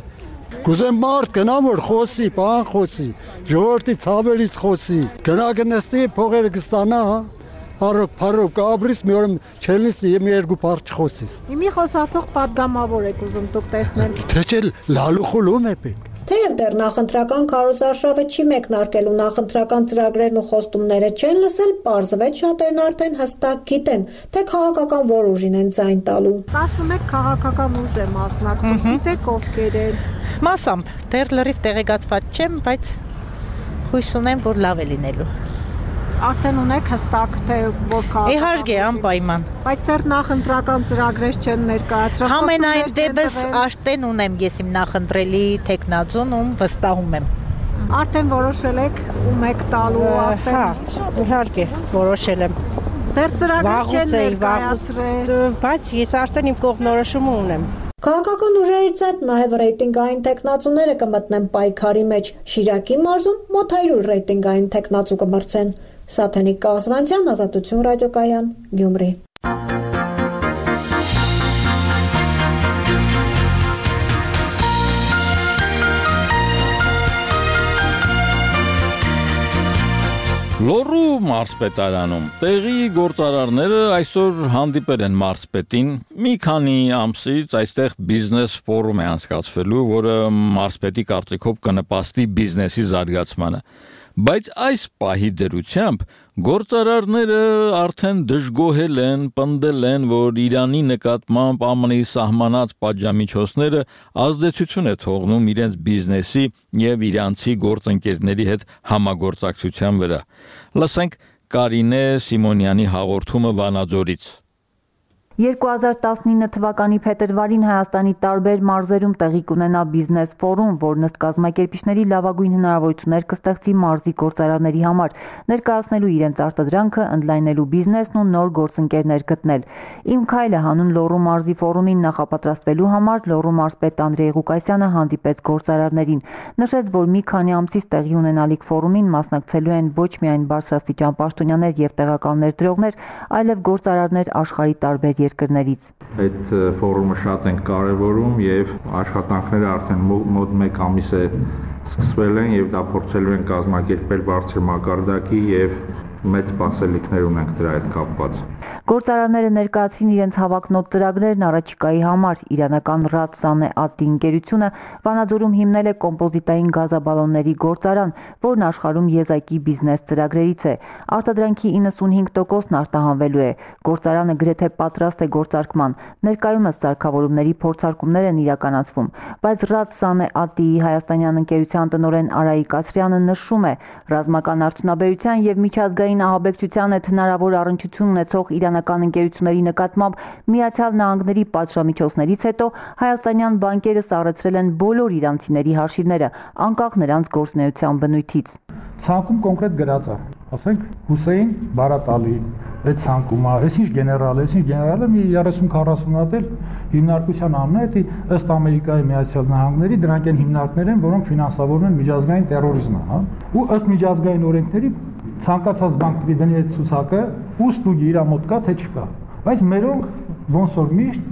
Կուզեմ մարդ գնա որ խոսի, բան խոսի, ժողովրդի ցավերից խոսի։ Գնա գնստի փողերը կստանա, հա։ Արոք փարոք կաբրիս մի օր չելիս մի երկու բառ չխոսիս։ Իմի խոսացող պատգամավոր եք ուզում դուք տեսնել։ Թե չէ լալու խուլում է պետք։ Թեև դեռ նախընտրական քարոզարշավը չի մեկնարկել ու նախընտրական ծրագրերն ու խոստումները չեն լսել, պարզվեց շատերն արդեն հստակ գիտեն, թե քաղաքական որ ուժին են ձայն տալու։ 11 քաղաքական ուժ է մասնակցում, գիտեք ովքեր են։ Մասամբ դեռ լրիվ տեղեկացված չեմ, բայց հույս ունեմ, որ լավ է լինելու։ Արդեն ունեք հստակ թե որ քաղաքական։ Իհարկե, անպայման։ Բայց դեռ նախընտրական ծրագրեր չեն ներկայացրել։ Համենայն դեպս արդեն ունեմ ես իմ նախընտրելի տեխնազոն, ում վստահում եմ։ Արդեն որոշել եք ում եք տալու արդեն։ Հա, իհարկե, որոշել եմ։ Դեռ ծրագրեր չեն ներկայացրել։ Բայց ես արդեն իմ կողմնորոշումը ունեմ։ Քաղաքական ուժերից այդ նաև ռեյտինգային տեխնացուները կմտնեն պայքարի մեջ։ Շիրակի մարզում մոտ 100 ռեյտինգային տեխնացու կմրցեն։ Սաթենիկ Կազվանցյան, Ազատություն ռադիոկայան, Գյումրի։ Լոռու մարզպետարանում տեղի գործարարները այսօր հանդիպել են մարզպետին։ Մի քանի ամսից այստեղ բիզնես ֆորում է անցկացվելու, որը մարզպետի կարծիքով կնպաստի բիզնեսի զարգացմանը։ Բայց այս պահի դրությամբ գործարարները արդեն դժգոհել են, պնդել են, որ Իրանի նկատմամբ ԱՄՆ-ի սահմանած պատժամիջոցները ազդեցություն է թողնում իրենց բիզնեսի եւ իրանցի գործընկերների հետ համագործակցության վրա։ Լսենք Կարինե Սիմոնյանի հաղորդումը Վանաձորից։ 2019 թվականի փետրվարին Հայաստանի տարբեր մարզերում տեղի կունենա բիզնես ֆորում, որն ըստ կազմակերպիչների լավագույն հնարավորություններ կստեղծի մարզի գործարարների համար, ներկայացնելու իրենց արտադրանքը, ընդլայնելու բիզնեսն ու նոր գործընկերներ գտնել։ Իմ քայլը հանուն Լոռու մարզի ֆորումին նախապատրաստվելու համար Լոռու մարզպետ Անդրեյ Ղուկասյանը հանդիպեց գործարարներին, նշեց, որ մի քանի ամսից տեղի ունենալիք ֆորումին մասնակցելու են ոչ միայն բարձրաստիճան պաշտոնյաներ եւ տեղական ներդրողներ, այլև գործարարներ աշխարհի տարբեր երկրներից։ Այդ ֆորումը շատ են կարևորում եւ աշխատանքները արդեն մոտ 1 ամիս է սկսվել են եւ դա փորձելու են կազմակերպել բարձր մակարդակի եւ մեծ սպասելիքներ ունենք դրա հետ կապված։ Գործարարները ներկայացրին իրենց հավակնոտ ծրագրերն առաջիկայի համար։ Իրանական Ռադսանե Ատի ընկերությունը Վանաձորում հիմնել է կոմպոզիտային գազաբալոնների գործարան, որն աշխարհում եզակի բիզնես ծրագրերից է։ Արտադրանքի 95%-ն արտահանվելու է։ Գործարանը գրեթե պատրաստ է գործարկման։ Ներկայումս սարքավորումների փորձարկումներ են իրականացվում, բայց Ռադսանե Ատիի հայաստանյան ընկերության տնօրեն Արայիկ Ասրյանը նշում է, ռազմական արդյունաբերության եւ միջազգային ահաբեկչության հետ հնարավոր առնչություն ունեցող իրանական ընկերությունների նկատմամբ Միացյալ Նահանգների պատժամիջոցներից հետո հայաստանյան բանկերը սառեցրել են բոլոր իրանցիների հաշիվները, անկախ նրանց գործունեության բնույթից։ Ցանկում կոնկրետ գրած է, ասենք Հուսեյն Բարատալի, այդ ցանկում է, այսինչ գեներալը մի 30-40 հատ էլ հիմնարկության անունը է, ըստ Ամերիկայի Միացյալ Նահանգների դրանք են հիմնարկներ են, որոնք ֆինանսավորում են միջազգային տերորիզմը, հա։ Ու ըստ միջազգային օրենքների ցանկացած բանկ պետք է դնի այդ ցուցակը, ու ստուգի իր մոտ կա թե չկա։ Բայց մերոնք ոնց որ միշտ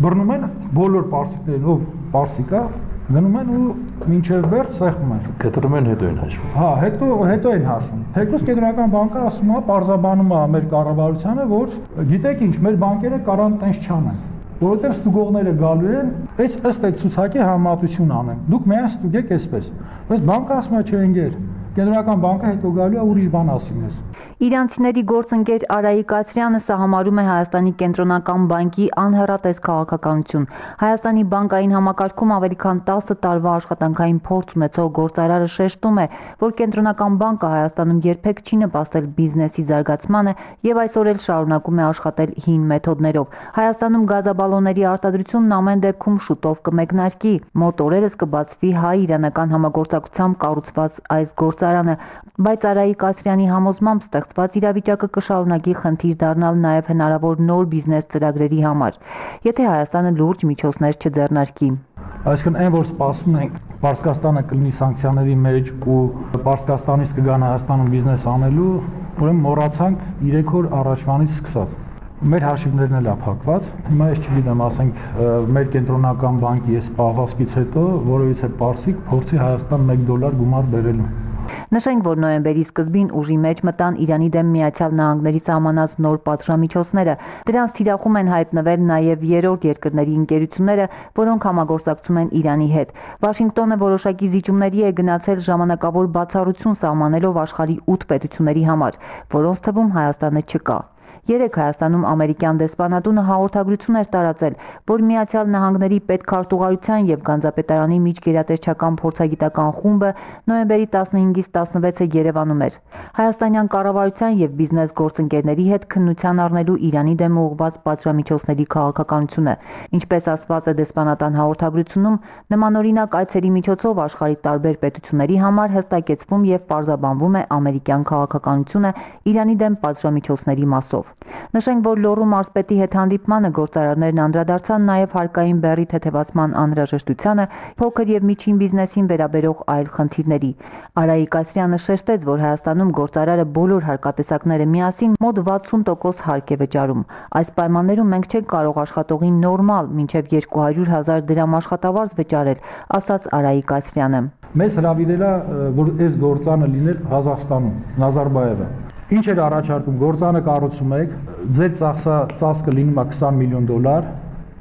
բռնում են բոլոր պարսիկներին, ով պարսիկ է, գնում են ու մինչև վերջ սեղմում են։ Կտրում են հետո են հաշվում։ Հա, հետո են հաշվում։ Թեկուզ կենտրոնական բանկը ասում է, պարզաբանում է մեր կառավարությանը, որ գիտեք ինչ, մեր բանկերը կարան տենց չանեն, որովհետև ստուգողները գալու են, ըստ այդ ցուցակի համեմատություն անեն։ Դուք միայն ստուգեք այսպես։ Բայց բանկը ասում է, չէ, ընկեր, կենտրոնական բանկը հետո գալու է ուրիշ բան ասի մեզ։ Իրանցիների գործընկեր Արայիկ Ասրյանը սա համարում է Հայաստանի կենտրոնական բանկի անհեռատես քաղաքականություն։ Հայաստանի բանկային համակարգում ավելի քան 10 տարվա աշխատանքային փորձ ունեցող գործարարը շեշտում է, որ կենտրոնական բանկը Հայաստանում երբեք չի նպաստել բիզնեսի զարգացմանը եւ այսօր էլ շարունակում է աշխատել հին մեթոդներով։ Հայաստանում գազաբալոնների արտադրությունն ամեն դեպքում շուտով կմեկնարկի։ Մոտ օրերս կբացվի հայ-իրանական համագործակցությամբ կառուցված այս գործարանը, բայց Արայիկ Ասրյանի համոզմամբ ստեղծված իրավիճակը կշարունակի խնդիր դառնալ նաև հնարավոր նոր բիզնես ծրագրերի համար, եթե Հայաստանը լուրջ միջոցներ չձեռնարկի։ Այսինքն այն, որ սպասում ենք Պարսկաստանը կլինի սանկցիաների մեջ ու Պարսկաստանից կգան Հայաստանում բիզնես անելու, ուրեմն մոռացանք 3 օր առաջվանից սկսած։ Մեր հաշիվներն էլափակված։ Հիմա ես չգիտեմ, ասենք մեր կենտրոնական բանկի այս պահվածքից հետո որովհետեւ պարսիկ փորձի Հայաստան $1 գումար բերելու։ Նշենք, որ նոյեմբերի սկզբին ուժի մեջ մտան Իրանի դեմ Միացյալ Նահանգների սահմանած նոր պատժամիջոցները։ Դրանց թիրախում են հայտնվել նաև երրորդ երկրների ընկերությունները, որոնք համագործակցում են Իրանի հետ։ Վաշինգտոնը որոշակի զիջումների է գնացել ժամանակավոր բացառություն սահմանելով աշխարհի 8 պետությունների համար, որոնց թվում Հայաստանը չկա։ Երեկ Հայաստանում ամերիկյան դեսպանատունը հաղորդագրություն էր տարածել, որ Միացյալ Նահանգների պետքարտուղարության եւ Գանձապետարանի միջգերատեսչական փորձագիտական խումբը նոյեմբերի 15-ից 16-ը Երևանում էր։ Հայաստանյան կառավարության եւ բիզնես գործընկերների հետ քննության առնելու Իրանի դեմ ուղղված պատժամիջոցների քաղաքականությունը։ Ինչպես ասված է դեսպանատան հաղորդագրությունում, նմանօրինակ այցերի միջոցով աշխարհի տարբեր պետությունների համար հստակեցվում եւ պարզաբանվում է ամերիկյան քաղաքականությունը Իրանի դեմ պատժամիջոցների մասով։ Նշենք, որ Լոռու մարզպետի հետ հանդիպմանը գործարարներն անդրադարձան նաև հարկային բեռի թեթևացման անհրաժեշտությանը, փոքր եւ միջին բիզնեսին վերաբերող այլ խնդիրների։ Արայիկ Ասրյանը շեշտեց, որ Հայաստանում գործարարը բոլոր հարկատեսակները միասին մոտ 60% հարկ է վճարում։ Այս պայմաններում մենք չենք կարող աշխատողին նորմալ մինչև 200,000 դրամ աշխատավարձ վճարել, ասաց Արայիկ Ասրյանը։ Մեզ հրավիրել է, որ այս գործանը լիներ Ղազախստանում, Նազարբայևը։ Ինչ էր առաջարկում, գործանը կառուցում եք, ձեր ծախսը լինում է $20 միլիոն,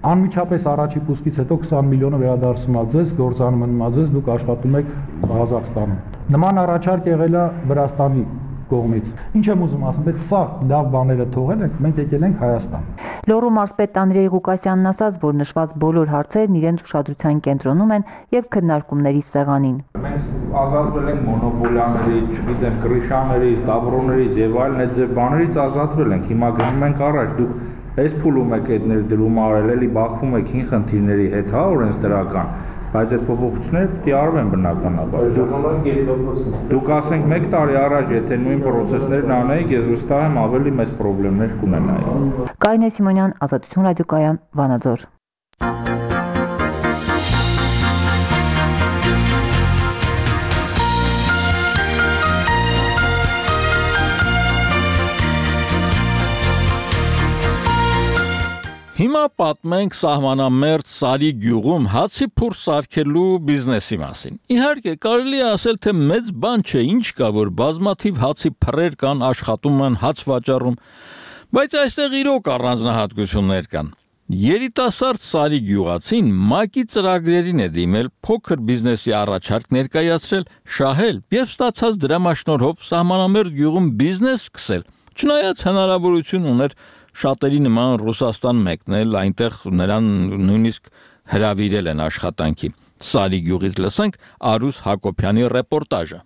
անմիջապես առաջի պուսկից հետո 20 միլիոնը վերադարձում է ձեզ, գործանը մնում է ձեզ, դուք աշխատում եք Ղազախստանում։ Նման առաջարկ եղել է Վրաստանի կողմից։ Ինչ եմ ուզում ասեմ, բայց սա լավ բաները թողել ենք, մենք եկել ենք Հայաստան։ Լոռու մարզպետ Անդրեյ Ղուկասյանն ասաց, որ նշված բոլոր հարցերն իրենց ուշադրության կենտրոնում են եւ քննարկումների սեղանին։ Մենք ազատվել ենք մոնոպոլիաների, չգիտեմ, կրիշաներից, դաբրոներից եւ այլն այդ ձև բաներից ազատվել ենք։ Հիմա գնում ենք առաջ, դուք այս փուլում եք այդ ներդրում արել, էլի բախվում եք հին խնդիրների հետ, հա, օրենսդրական, բայց այդ փոփոխությունները պետք է արվեն բնականաբար։ Դուք ասենք 1 տարի առաջ, եթե նույն process-ներն անեիք, ես վստահ եմ ավելի մեծ խնդիրներ կունենայիք։ Կարինե Սիմոնյան, Ազատություն ռադիոկայան, Վանաձոր։ Հիմա պատմենք սահմանամերձ Սարի գյուղում հացի փուր սարքելու բիզնեսի մասին։ Իհարկե, կարելի է ասել, թե մեծ բան չէ, ինչ կա, որ բազմաթիվ հացի փռեր կան, աշխատում են, հաց վաճառում, բայց այստեղ իրոք առանձնահատկություններ կան։ Երիտասարդ Սարի գյուղացին ՄԱԿ-ի ծրագրերին է դիմել, փոքր բիզնեսի առաջարկ ներկայացրել, շահել եւ ստացած դրամաշնորհով սահմանամերձ գյուղում բիզնես սկսել։ Չնայած հնարավորություն ուներ շատերի նման Ռուսաստան մեկնել, այնտեղ նրան նույնիսկ հրավիրել են աշխատանքի։ Սարի գյուղից լսենք Արուս Հակոբյանի ռեպորտաժը։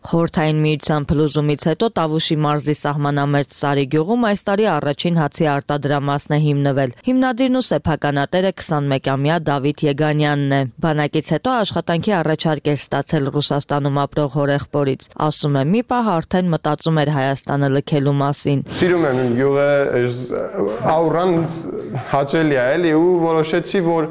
Խորհրդային միության փլուզումից հետո Տավուշի մարզի սահմանամերձ Սարի գյուղում այս տարի առաջին հացի արտադրամասն է հիմնվել։ Հիմնադիրն ու սեփականատերը 21-ամյա Դավիթ Եգանյանն է։ Բանակից հետո աշխատանքի առաջարկ էր ստացել Ռուսաստանում ապրող հորեղբորից։ Ասում է՝ մի պահ արդեն մտածում էր Հայաստանը լքելու մասին։ Սիրում եմ իմ գյուղը, աուրան հաճելի է էլի ու որոշեցի, որ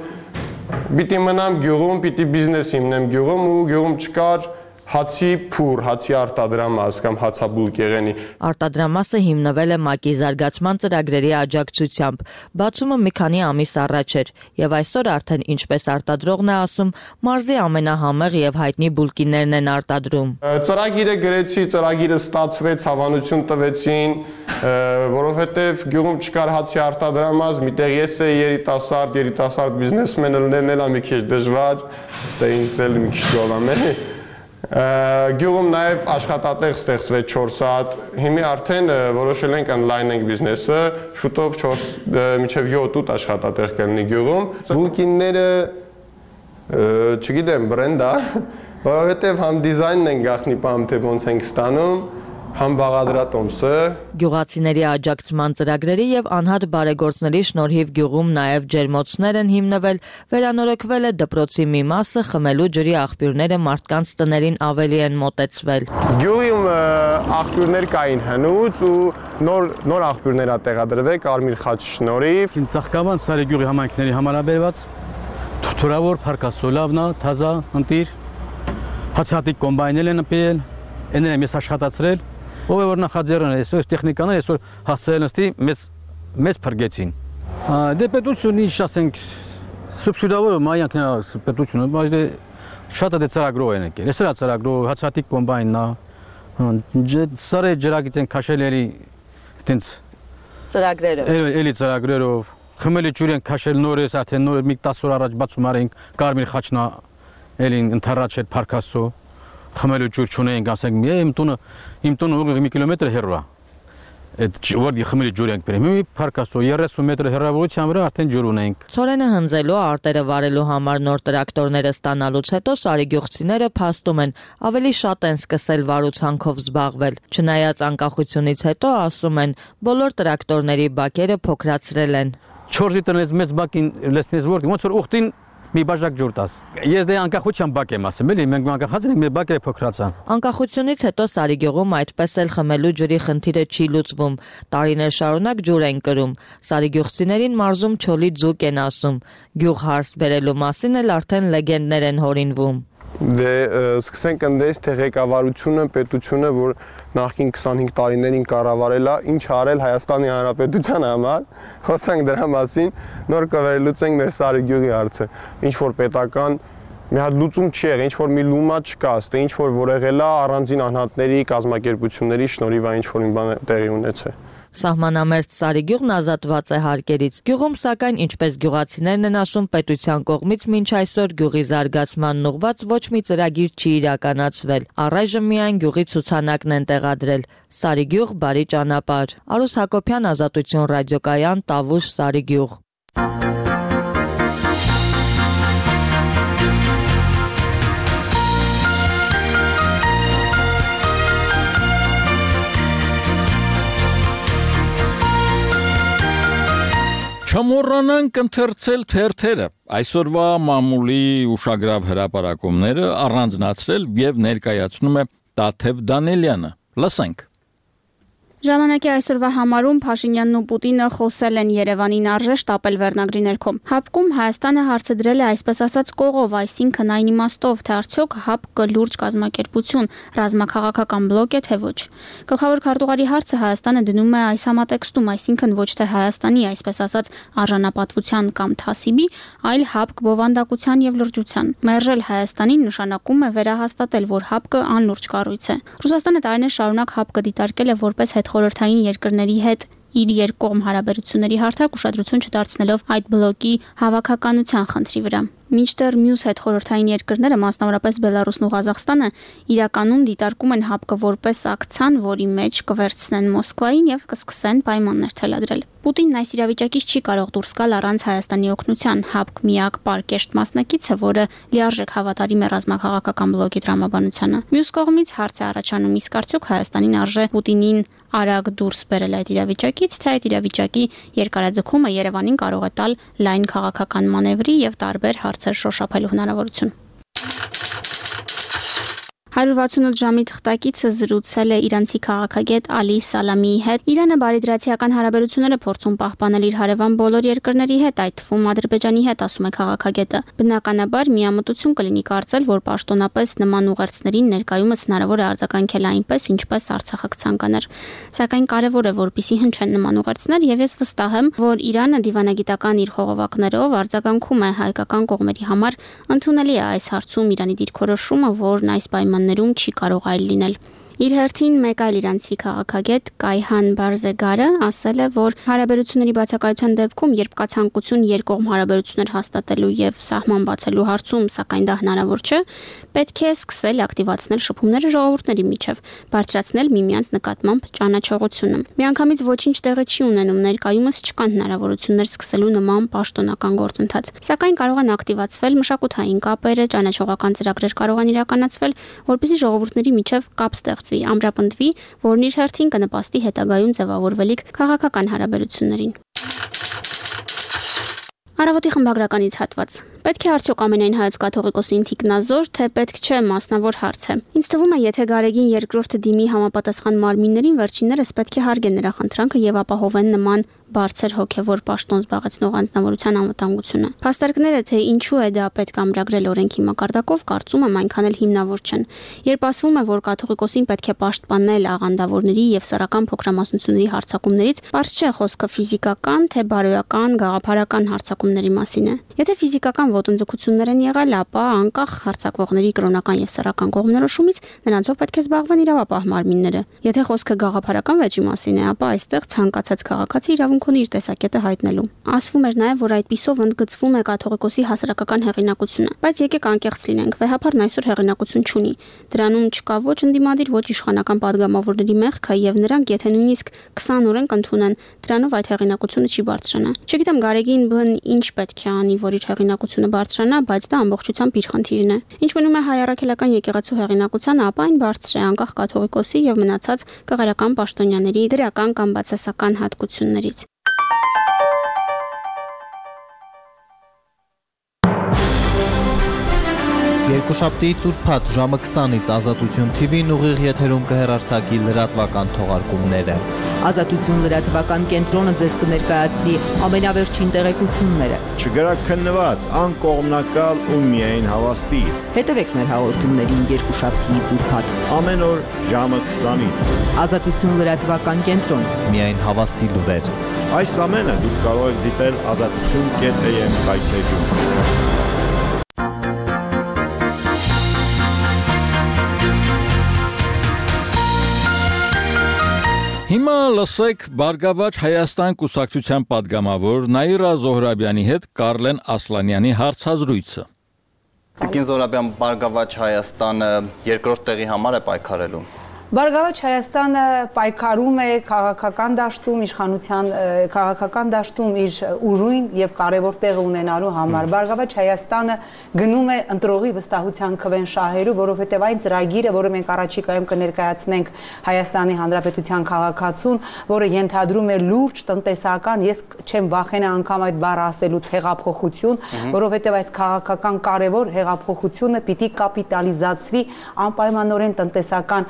պիտի մնամ գյուղում, պիտի բիզնես հիմնեմ գյուղում ու գյուղում չկար հացի փուր, հացի արտադրամաս կամ հացաբուլկ եղենի։ Արտադրամասը հիմնվել է ՄԱԿ-ի զարգացման ծրագրերի աջակցությամբ։ Բացումը մի քանի ամիս առաջ էր, եւ այսօր արդեն ինչպես արտադրողն է ասում, մարզի ամենահամեղ եւ հայտնի բուլկիներն են արտադրում։ Ծրագիրը գրեցի, ծրագիրը ստացվեց, հավանություն տվեցին, որովհետեւ գյուղում չկար հացի արտադրամաս, միտեղ ես էի երիտասարդ բիզնեսմենը լինելն էլ մի քիչ դժվար, ստե ինձ էլ մի քիչ գոլամ է։ Գյուղում նաև աշխատատեղ ստեղծվեց 4 հատ, հիմի արդեն որոշել ենք անլայնենք բիզնեսը, շուտով 4 մինչև 7-8 աշխատատեղ կլինի գյուղում։ Բուլկինները, չգիտեմ, բրենդ է, որովհետև համ դիզայնն են գախնի պամ, թե ոնց ենք ստանում, համ բաղադրատոմսը։ Գյուղացիների աջակցման ծրագրերի եւ անհատ բարեգործների շնորհիվ գյուղում նաեւ ջերմոցներ են հիմնվել, վերանորոգվել է դպրոցի մի մասը, խմելու ջրի աղբյուրները մարդկանց տներին ավելի են մոտեցվել։ Գյուղում աղբյուրներ կային հնուց ու նոր աղբյուրներ ա տեղադրվել Կարմիր խաչի շնորհիվ։ Ծաղկավան Սարի գյուղի համայնքների համարաբերված թուրավոր փարկասոլավնա, թազա, ընտիր, հացատիկ կոմբայնել են ապել, էներ եմ ես աշխատացրել։ Ով է որ նախաձեռնել է, այսօր տեխնիկաները այսօր հասցրել նստի մեզ փրկեցին։ Դե պետությունը ինչ ասենք, սուբսիդավոր մայանքն է պետությունը, բայց դե շատ է ծրագրով են եկել։ Էս է ծրագրով, հացատիկ կոմբայնն է, սարը ջրագից են քաշել էլի այտենց ծրագրերով։ Էլի ծրագրերով, խմելի ջուր են քաշել նորից, արդեն նոր մի 10 օր առաջ բացում արենք, Կարմիր խաչն էլի ընթառաջ էր Փարքասո։ Խմելու ջուր չունենք, ասենք, իմ տունը ուղիղ մի կիլոմետր հեռու է։ Այդ որ խմելի ջուր ենք բերում, մի Փարքասո 30 մետր հեռավորության վրա արդեն ջուր ունենք։ Ցորենը հնձելու, արտերը վարելու համար նոր տրակտորները ստանալուց հետո սարիգյուղցիները փաստում են, ավելի շատ են սկսել վարուցանքով զբաղվել։ Չնայած անկախությունից հետո, ասում են, բոլոր տրակտորների բակերը փոքրացրել են։ 4 լիտրից մեծ բակին լցնես որ ոնց որ ուխտին մի բաժակ ջուր տաս։ Ես դե անկախության բակ եմ ասում, էլի մենք անկախած ենք, մեր բակերը փոքրացան։ Անկախությունից հետո Սարիգյուղում այդպես էլ խմելու ջրի խնդիրը չի լուծվում։ Տարիներ շարունակ ջուր են կրում։ Սարիգյուղցիներին մարզում չոլի ձուկ են ասում։ Գյուղ հարս բերելու մասին էլ արդեն լեգենդներ են հորինվում։ Դե սկսենք ընդես թե ղեկավարությունը, պետությունը, որ նախքին 25 տարիներին կառավարել է, ինչ արել Հայաստանի Հանրապետության համար, խոսանք դրա մասին, նոր կվերլուծենք մեր Սարիգյուղի հարցը։ Ինչ որ պետական մի հատ լուծում չի եղել, ինչ որ մի լումա չկա, ստե ինչ որ եղել է առանձին անհատների, կազմակերպությունների շնորհիվ ինչ որ մի բան տեղի ունեցել։ Սահմանամերձ Սարիգյուղն ազատված է հարկերից։ Գյուղում, սակայն, ինչպես գյուղացիներն են ասում, պետության կողմից մինչ այսօր գյուղի զարգացմանն ուղղված ոչ մի ծրագիր չի իրականացվել։ Առայժմ միայն գյուղի ցուցանակն են տեղադրել։ Սարիգյուղ բարի ճանապարհ։ Արուս Հակոբյան, Ազատություն ռադիոկայան, Տավուշ, Սարիգյուղ։ Չմոռանանք ընթերցել թերթերը, այսօրվա մամուլի ուշագրավ հրապարակումները առանձնացրել եւ ներկայացնում է Տաթև Դանելյանը։ Լսենք։ Ժամանակի այսօրվա համարում Փաշինյանն ու Պուտինը խոսել են Երևանին արժե շտապել վերնագրի ներքո։ ՀԱՊԿ-ում Հայաստանը հարցը դրել է այսպես ասած կողով, այսինքն այն իմաստով, թե արդյոք ՀԱՊԿ-ը լուրջ կազմակերպություն, ռազմաքաղաքական բլոկ է, թե ոչ։ Գլխավոր քարտուղարի հարցը Հայաստանը դնում է այս համատեքստում, այսինքն ոչ թե Հայաստանի, այսպես ասած, արժանապատվության կամ թասիբի, այլ ՀԱՊԿ բովանդակության եւ լրջության։ Մերժել Հայաստանին նշանակում է վերահաստատել, որ ՀԱՊԿ-ը անլուրջ կառույց է։ Ռուսաստանը տարիներ շարունակ ՀԱՊԿ-ը դիտարկել է որպես խորհրդային երկրների հետ իր երկկողմ հարաբերությունների հարթակ ուշադրություն չդարձնելով այդ բլոկի հավաքականության խնդրի վրա։ Մինչդեռ մյուս հետխորհրդային երկրները, մասնավորապես Բելարուսն ու Ղազախստանը, իրականում դիտարկում են ՀԱՊԿ-ը որպես ակցիան, որի մեջ կվերցնեն Մոսկվային եւ կսկսեն պայմաններ թելադրել։ Պուտինն այս իրավիճակից չի կարող դուրս գալ առանց Հայաստանի օգնության։ ՀԱՊԿ միակ պարկեշտ մասնակիցը, որը լիարժեք հավատարիմ է ռազմաքաղաքական բլոկի տրամաբանությանը։ Մյուս կողմից հարց է առաջանում, իսկ արդյոք Հայաստանին արժե Պուտինին արագ դուրս բերել այդ իրավիճակից, թե այդ իրավիճակի երկարաձգումը Երևանին կարող է տալ լայն քաղաքական մանևրի եւ տարբեր հարցեր շոշափելու հնարավորություն։ 168 ժամի թղթակիցը զրուցել է իրանցի քաղաքագետ Ալի Սալամիի հետ։ Իրանը բարիդրացիական հարաբերությունները փորձում պահպանել իր հարևան բոլոր երկրների հետ, այդ թվում Ադրբեջանի հետ, ասում է քաղաքագետը։ Բնականաբար միամտություն կլինի կարծել, որ պաշտոնապես նման ուղերձներին ներկայումս հնարավոր է արձագանքել այնպես, ինչպես Արցախը կցանկանար։ Սակայն կարևոր է, որպեսզի հնչեն նման ուղերձներ, եւ ես վստահ եմ, որ Իրանը դիվանագիտական իր խողովակներով արձագանքում է հայկական կողմերի համար, ընդունելի է այս հարցում Իրանի դիրքորոշումը, որն այս պայմաններում չի կարող այլ լինել։ Իր հերթին մեկ այլ իրանցի քաղաքագետ Կայհան Բարզեգարը ասել է, որ հարաբերությունների բացակայության դեպքում, երբ կա ցանկություն երկկողմ հարաբերություններ հաստատելու եւ սահման բացելու հարցում, սակայն դա հնարավոր չէ, պետք է սկսել ակտիվացնել շփումները ժողովուրդների միջև, բարձրացնել միմյանց նկատմամբ ճանաչողությունը։ Միանգամից ոչինչ տեղի չի ունենում, ներկայումս չկան հնարավորություններ սկսելու նման պաշտոնական գործընթաց, սակայն կարող են ակտիվացվել մշակութային կապերը, ճանաչողական ծրագրեր կարող են իրականացվել, որպեսզի ժողովուրդների միջև կապ ստեղծվի, ամրապնդվի, որն իր հերթին կնպաստի հետագայում ձևավորվելիք քաղաքական հարաբերություններին։ Առավոտի խմբագրականից հատված։ Պետք է արդյոք ամենայն հայոց կաթողիկոսի ինթիկնազոր, թե պետք չէ մասնավոր հարց է։ Ինձ թվում է, եթե Գարեգին երկրորդը դիմի համապատասխան մարմիններին, վերջիններս պետք է հարգեն նրա խնդրանքը եւ ապահովեն նման բարձր հոգեվոր պաշտոն զբաղեցնող անձնավորության անվտանգությունը։ Փաստարկները, թե ինչու է դա պետք ամրագրել օրենքի մակարդակով, կարծում եմ այնքան էլ հիմնավոր չեն։ Երբ ասվում է, որ կաթողիկոսին պետք է պաշտպանել աղանդավորների եւ սեռական փոքրամասնությունների հարձակումներից, բարձ չէ խոսքը ֆիզիկական, թե բարոյական, գաղափարական հարձակումների մասին է։ Եթե ֆիզիկական ոտնձգություններ են եղել, ապա անկախ հարձակվողների կրոնական եւ սեռական կողմնորոշումից նրանցով պետք է զբաղվեն իրավապահ մարմինները։ Եթե խոսքը գաղափարական վեճի մասին է, ապա այստեղ ցանկացած քաղաքացի իրավունք ունի իր տեսակետը հայտնելու։ Ասվում էր նաև, որ այդպիսով ընդգծվում է կաթողիկոսի հասարակական հեղինակությունը, բայց եկեք անկեղծ լինենք, վեհապարն այսօր հեղինակություն չունի։ Դրանում չկա ոչ ընդդիմադիր, ոչ իշխանական падգամավորների մեղքը եւ նրանք, եթե նույնիսկ 20 օրենք ընդունեն, դրանով այդ հեղինակությունը չի բարձրանա։ Չգիտեմ Գարեգին բն ինչ պետք է անի, որ իր հեղինակությունը բարձրանա, բայց դա ամբողջությամբ իր խնդիրն է։ Ինչ մնում է հայ առաքելական եկեղեցու հեղինակությանը, ապա այն բարձր է անկախ կաթողիկոսի եւ մնացած կղարական պաշտոնյաների դրական կամ բացասական հատկություններից։ Երկուշաբթի ծուրփաթ ժամը 20-ից Ազատություն TV-ն ուղիղ եթերում կհեռարձակի լրատվական թողարկումները։ Ազատություն լրատվական կենտրոնը ձեզ կներկայացնի ամենավերջին տեղեկությունները։ Չգրակ քննված, անկողմնակալ ու միայն հավաստի։ Հետևեք մեր հաղորդումներին երկուշաբթի ծուրփաթ։ Ամեն օր ժամը 20-ից։ Ազատություն լրատվական կենտրոն։ Միայն հավաստի լուրեր։ Այս ամենը դուք կարող եք դիտել azatutun.am կայքեջում։ Հիմա լսեք Բարգավաճ Հայաստան կուսակցության падգամավոր Նաիրա Զոհրաբյանի հետ Կարլեն Ասլանյանի հարցազրույցը։ Տիկին Զոհրաբյան, Բարգավաճ Հայաստանը երկրորդ տեղի համար է պայքարելու։ Բարգավաճ Հայաստանը պայքարում է քաղաքական դաշտում, իշխանության քաղաքական դաշտում իր ուրույն եւ կարեւոր տեղ ունենալու համար։ Բարգավաճ Հայաստանը գնում է ընտրողի վստահության քվեն շահելու, որովհետեւ այն ծրագիրը, որը մենք առաջիկայում կներկայացնենք Հայաստանի Հանրապետության քաղաքացուն, որը ենթադրում է լուրջ տնտեսական, ես չեմ վախենա անգամ այդ բառը ասելուց, հեղափոխություն, որովհետեւ այս քաղաքական կարեւոր հեղափոխությունը պիտի կապիտալիզացվի անպայմանորեն տնտեսական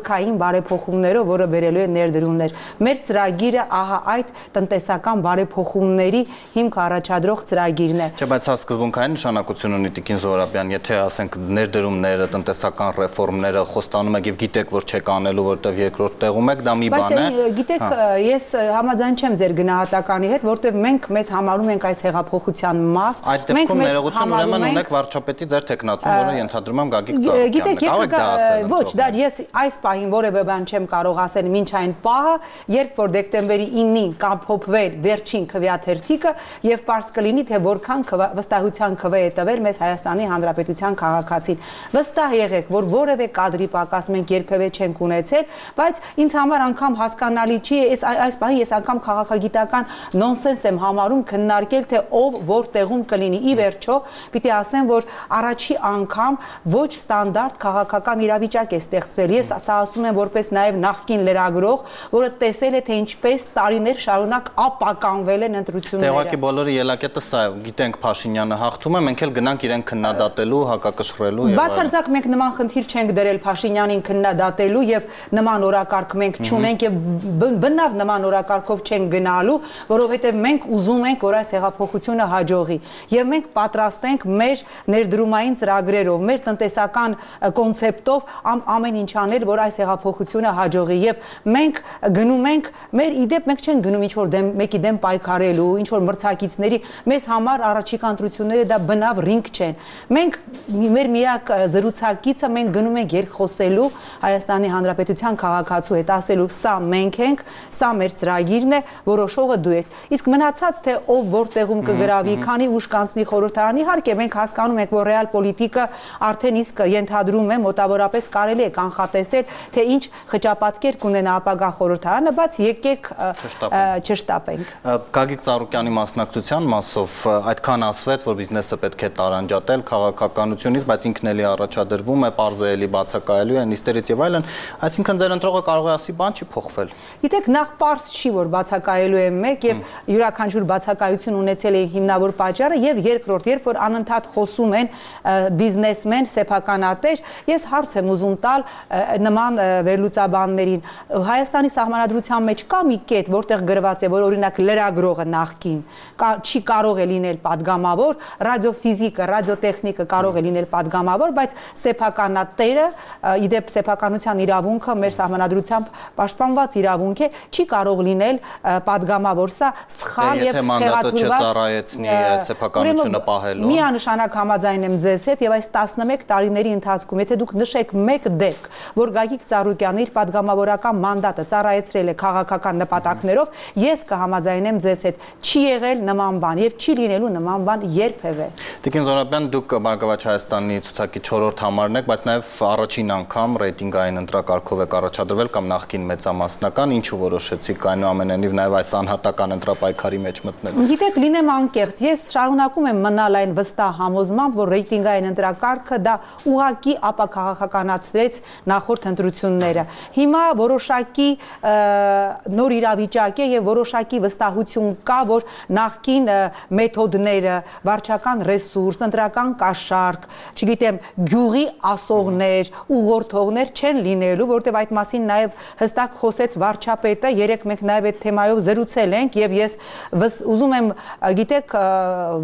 խորքային բարեփոխումներով, որը բերելու է ներդրումներ։ Մեր ծրագիրը ահա այդ տնտեսական բարեփոխումների հիմք առաջադրող ծրագիրն է։ Չէ, բայց սա սկզբունքային նշանակություն ունի, Տիկին Զոհրաբյան, եթե ասենք ներդրումները, տնտեսական ռեֆորմները խոստանում եք եւ գիտեք, որ չեք անելու, որտեվ երկրորդ տեղում եք, դա մի բան է։ Բայց գիտեք, ես համաձայն չեմ ձեր գնահատականի հետ, որտեվ մենք մեզ համարում ենք այս հեղափոխության մաս։ Այդ դեպքում ներողություն ուրեմն ունեք վարչապետի ձեր տեխնացուն, որը ենթադրում եմ Գագիկ Ծառուկյանն է։ Կարող եք դա ասել։ Ոչ, դա ես այս պահին որևէ բան չեմ կարող ասել մինչ այն պահը, երբ որ դեկտեմբերի 9-ին կապոփվել վերջին քվեաթերթիկը եւ པարզ կլինի թե որքան վստահության քվե է տվել մեզ Հայաստանի Հանրապետության քաղաքացին։ Վստահ եղեք, որ որևէ կադրի պակաս մենք երբևէ չենք ունեցել, բայց ինձ համար անգամ հասկանալի չի, այս բանը ես անգամ քաղաքագիտական նոնսենս եմ համարում քննարկել, թե ով որտեղում կլինի։ Ի վերջո, պիտի ասեմ, որ առաջի անգամ ոչ ստանդարտ քաղաքական իրավիճակ է ստեղծվել։ Ես սա ասում եմ որպես նաև նախկին լրագրող, որը տեսել է, թե ինչպես տարիներ շարունակ ապականվել են ընտրությունները։ Տեղակի բոլորի ելակետը սա է, գիտենք Փաշինյանը հաղթում է, մենք էլ գնանք իրեն քննադատելու, հակակշռելու եւ բացարձակ մենք նման խնդիր չենք դրել Փաշինյանին քննադատելու եւ նման օրակարգ մենք չունենք եւ բնավ նման օրակարգով չենք գնալու, որովհետեւ մենք ուզում ենք, որ այս հեղափոխությունը հաջողի եւ մենք պատրաստ ենք մեր ներդրումային ծրագրերով, մեր տնտեսական կոնցեպտով ամեն ինչ անել, որ այս հեղափոխությունը հաջողի եւ մենք գնում ենք մեր իդեպ մենք չենք գնում ինչ որ մեկի դեմ պայքարելու, ինչ որ մրցակիցների, մեզ համար առաջիկա ընտրությունները դա բնավ ռինգ չեն։ Մենք մեր միակ զրուցակիցը մենք գնում ենք երկխոսելու Հայաստանի Հանրապետության քաղաքացու հետ, ասելու սա մենք ենք, սա մեր ծրագիրն է, որոշողը դու ես։ Իսկ մնացած թե ով որտեղում կգրավի, քանի ուժ կանցնի խորհրդարան, իհարկե մենք հասկանում ենք, որ ռեալ պոլիտիկը արդեն իսկ ենթադրում է մոտավորապես կարելի է կանխատեսել, թե ինչ խճապատկեր կունենա ապագա խորհրդարանը, բայց եկեք չշտապենք։ Գագիկ Ծառուկյանի մասնակցության մասով այդքան ասվեց, որ բիզնեսը պետք է տարանջատել քաղաքականությունից, բայց ինքն էլի առաջադրվում է, պարզելի բացակայելու է նիստերից եւ այլն, այսինքն ձեր ընտրողը կարող է ասի բան չի փոխվել։ Գիտեք, նախ պարզ չի, որ բացակայելու է մեկ եւ յուրաքանչյուր բացակայություն ունեցել է հիմնավոր պատճառը եւ երկրորդ, երբ որ անընդհատ խոսում են բիզնեսմեն, սեփականատեր, ես հարց եմ ուզում տալ նման վերլուծաբաններին։ Հայաստանի սահմանադրության մեջ կա մի կետ, որտեղ գրված է, որ օրինակ լրագրողը նախքին չի կարող է լինել падգամավոր, ռադիոֆիզիկը, ռադիոտեխնիկը կարող է լինել падգամավոր, բայց սեփականատերը, իդեպ սեփականության իրավունքը մեր սահմանադրությամբ պաշտպանված իրավունք է, չի կարող լինել падգամավոր, սա սխալ եւ հեղաթյուրված սեփականությունը պահելու։ Միանշանակ համաձայն եմ ձեզ հետ եւ այս 11 տարիների ընթացքում, եթե դուք նշեք մեկ դեպք, որ Գագիկ Ծառուկյանը իր падգամավորական մանդատը ծառայեցրել է քաղաքական նպատակներով, ես կհամաձայնեմ ձեզ հետ, չի եղել նման բան եւ չի լինելու նման բան երբևէ։ Տիկին Զորաբյան, դուք Բարգավաճ Հայաստանի ցուցակի 4-րդ համարն եք, բայց նաեւ առաջին անգամ ռեյտինգային ընտրակարգով եք առաջադրվել կամ նախկին մեծամասնական, ինչու որոշեցիք այնուամենայնիվ նաեւ այս անհատական ընտրապայքարի մեջ մտնել։ Գիտեք, լինեմ անկեղծ, ես շարունակում եմ մնալ այն վստահ համոզմամբ, որ ռեյտինգային ընտրակարգը դա ուղղակի ապակաղականացրեց նախորդ ընտրությունները։ Հիմա որոշակի նոր իրավիճակ է եւ որոշակի վստահություն կա, որ նախկին մեթոդները, վարչական ռեսուրս, ընտրական կաշառք, չգիտեմ, գյուղի ասողներ, ուղղորդողներ չեն լինելու, որտեղ այդ մասին նաեւ հստակ խոսեց վարչապետը, երեք մենք նաեւ այդ թեմայով զրուցել ենք եւ ես ուզում եմ, գիտեք,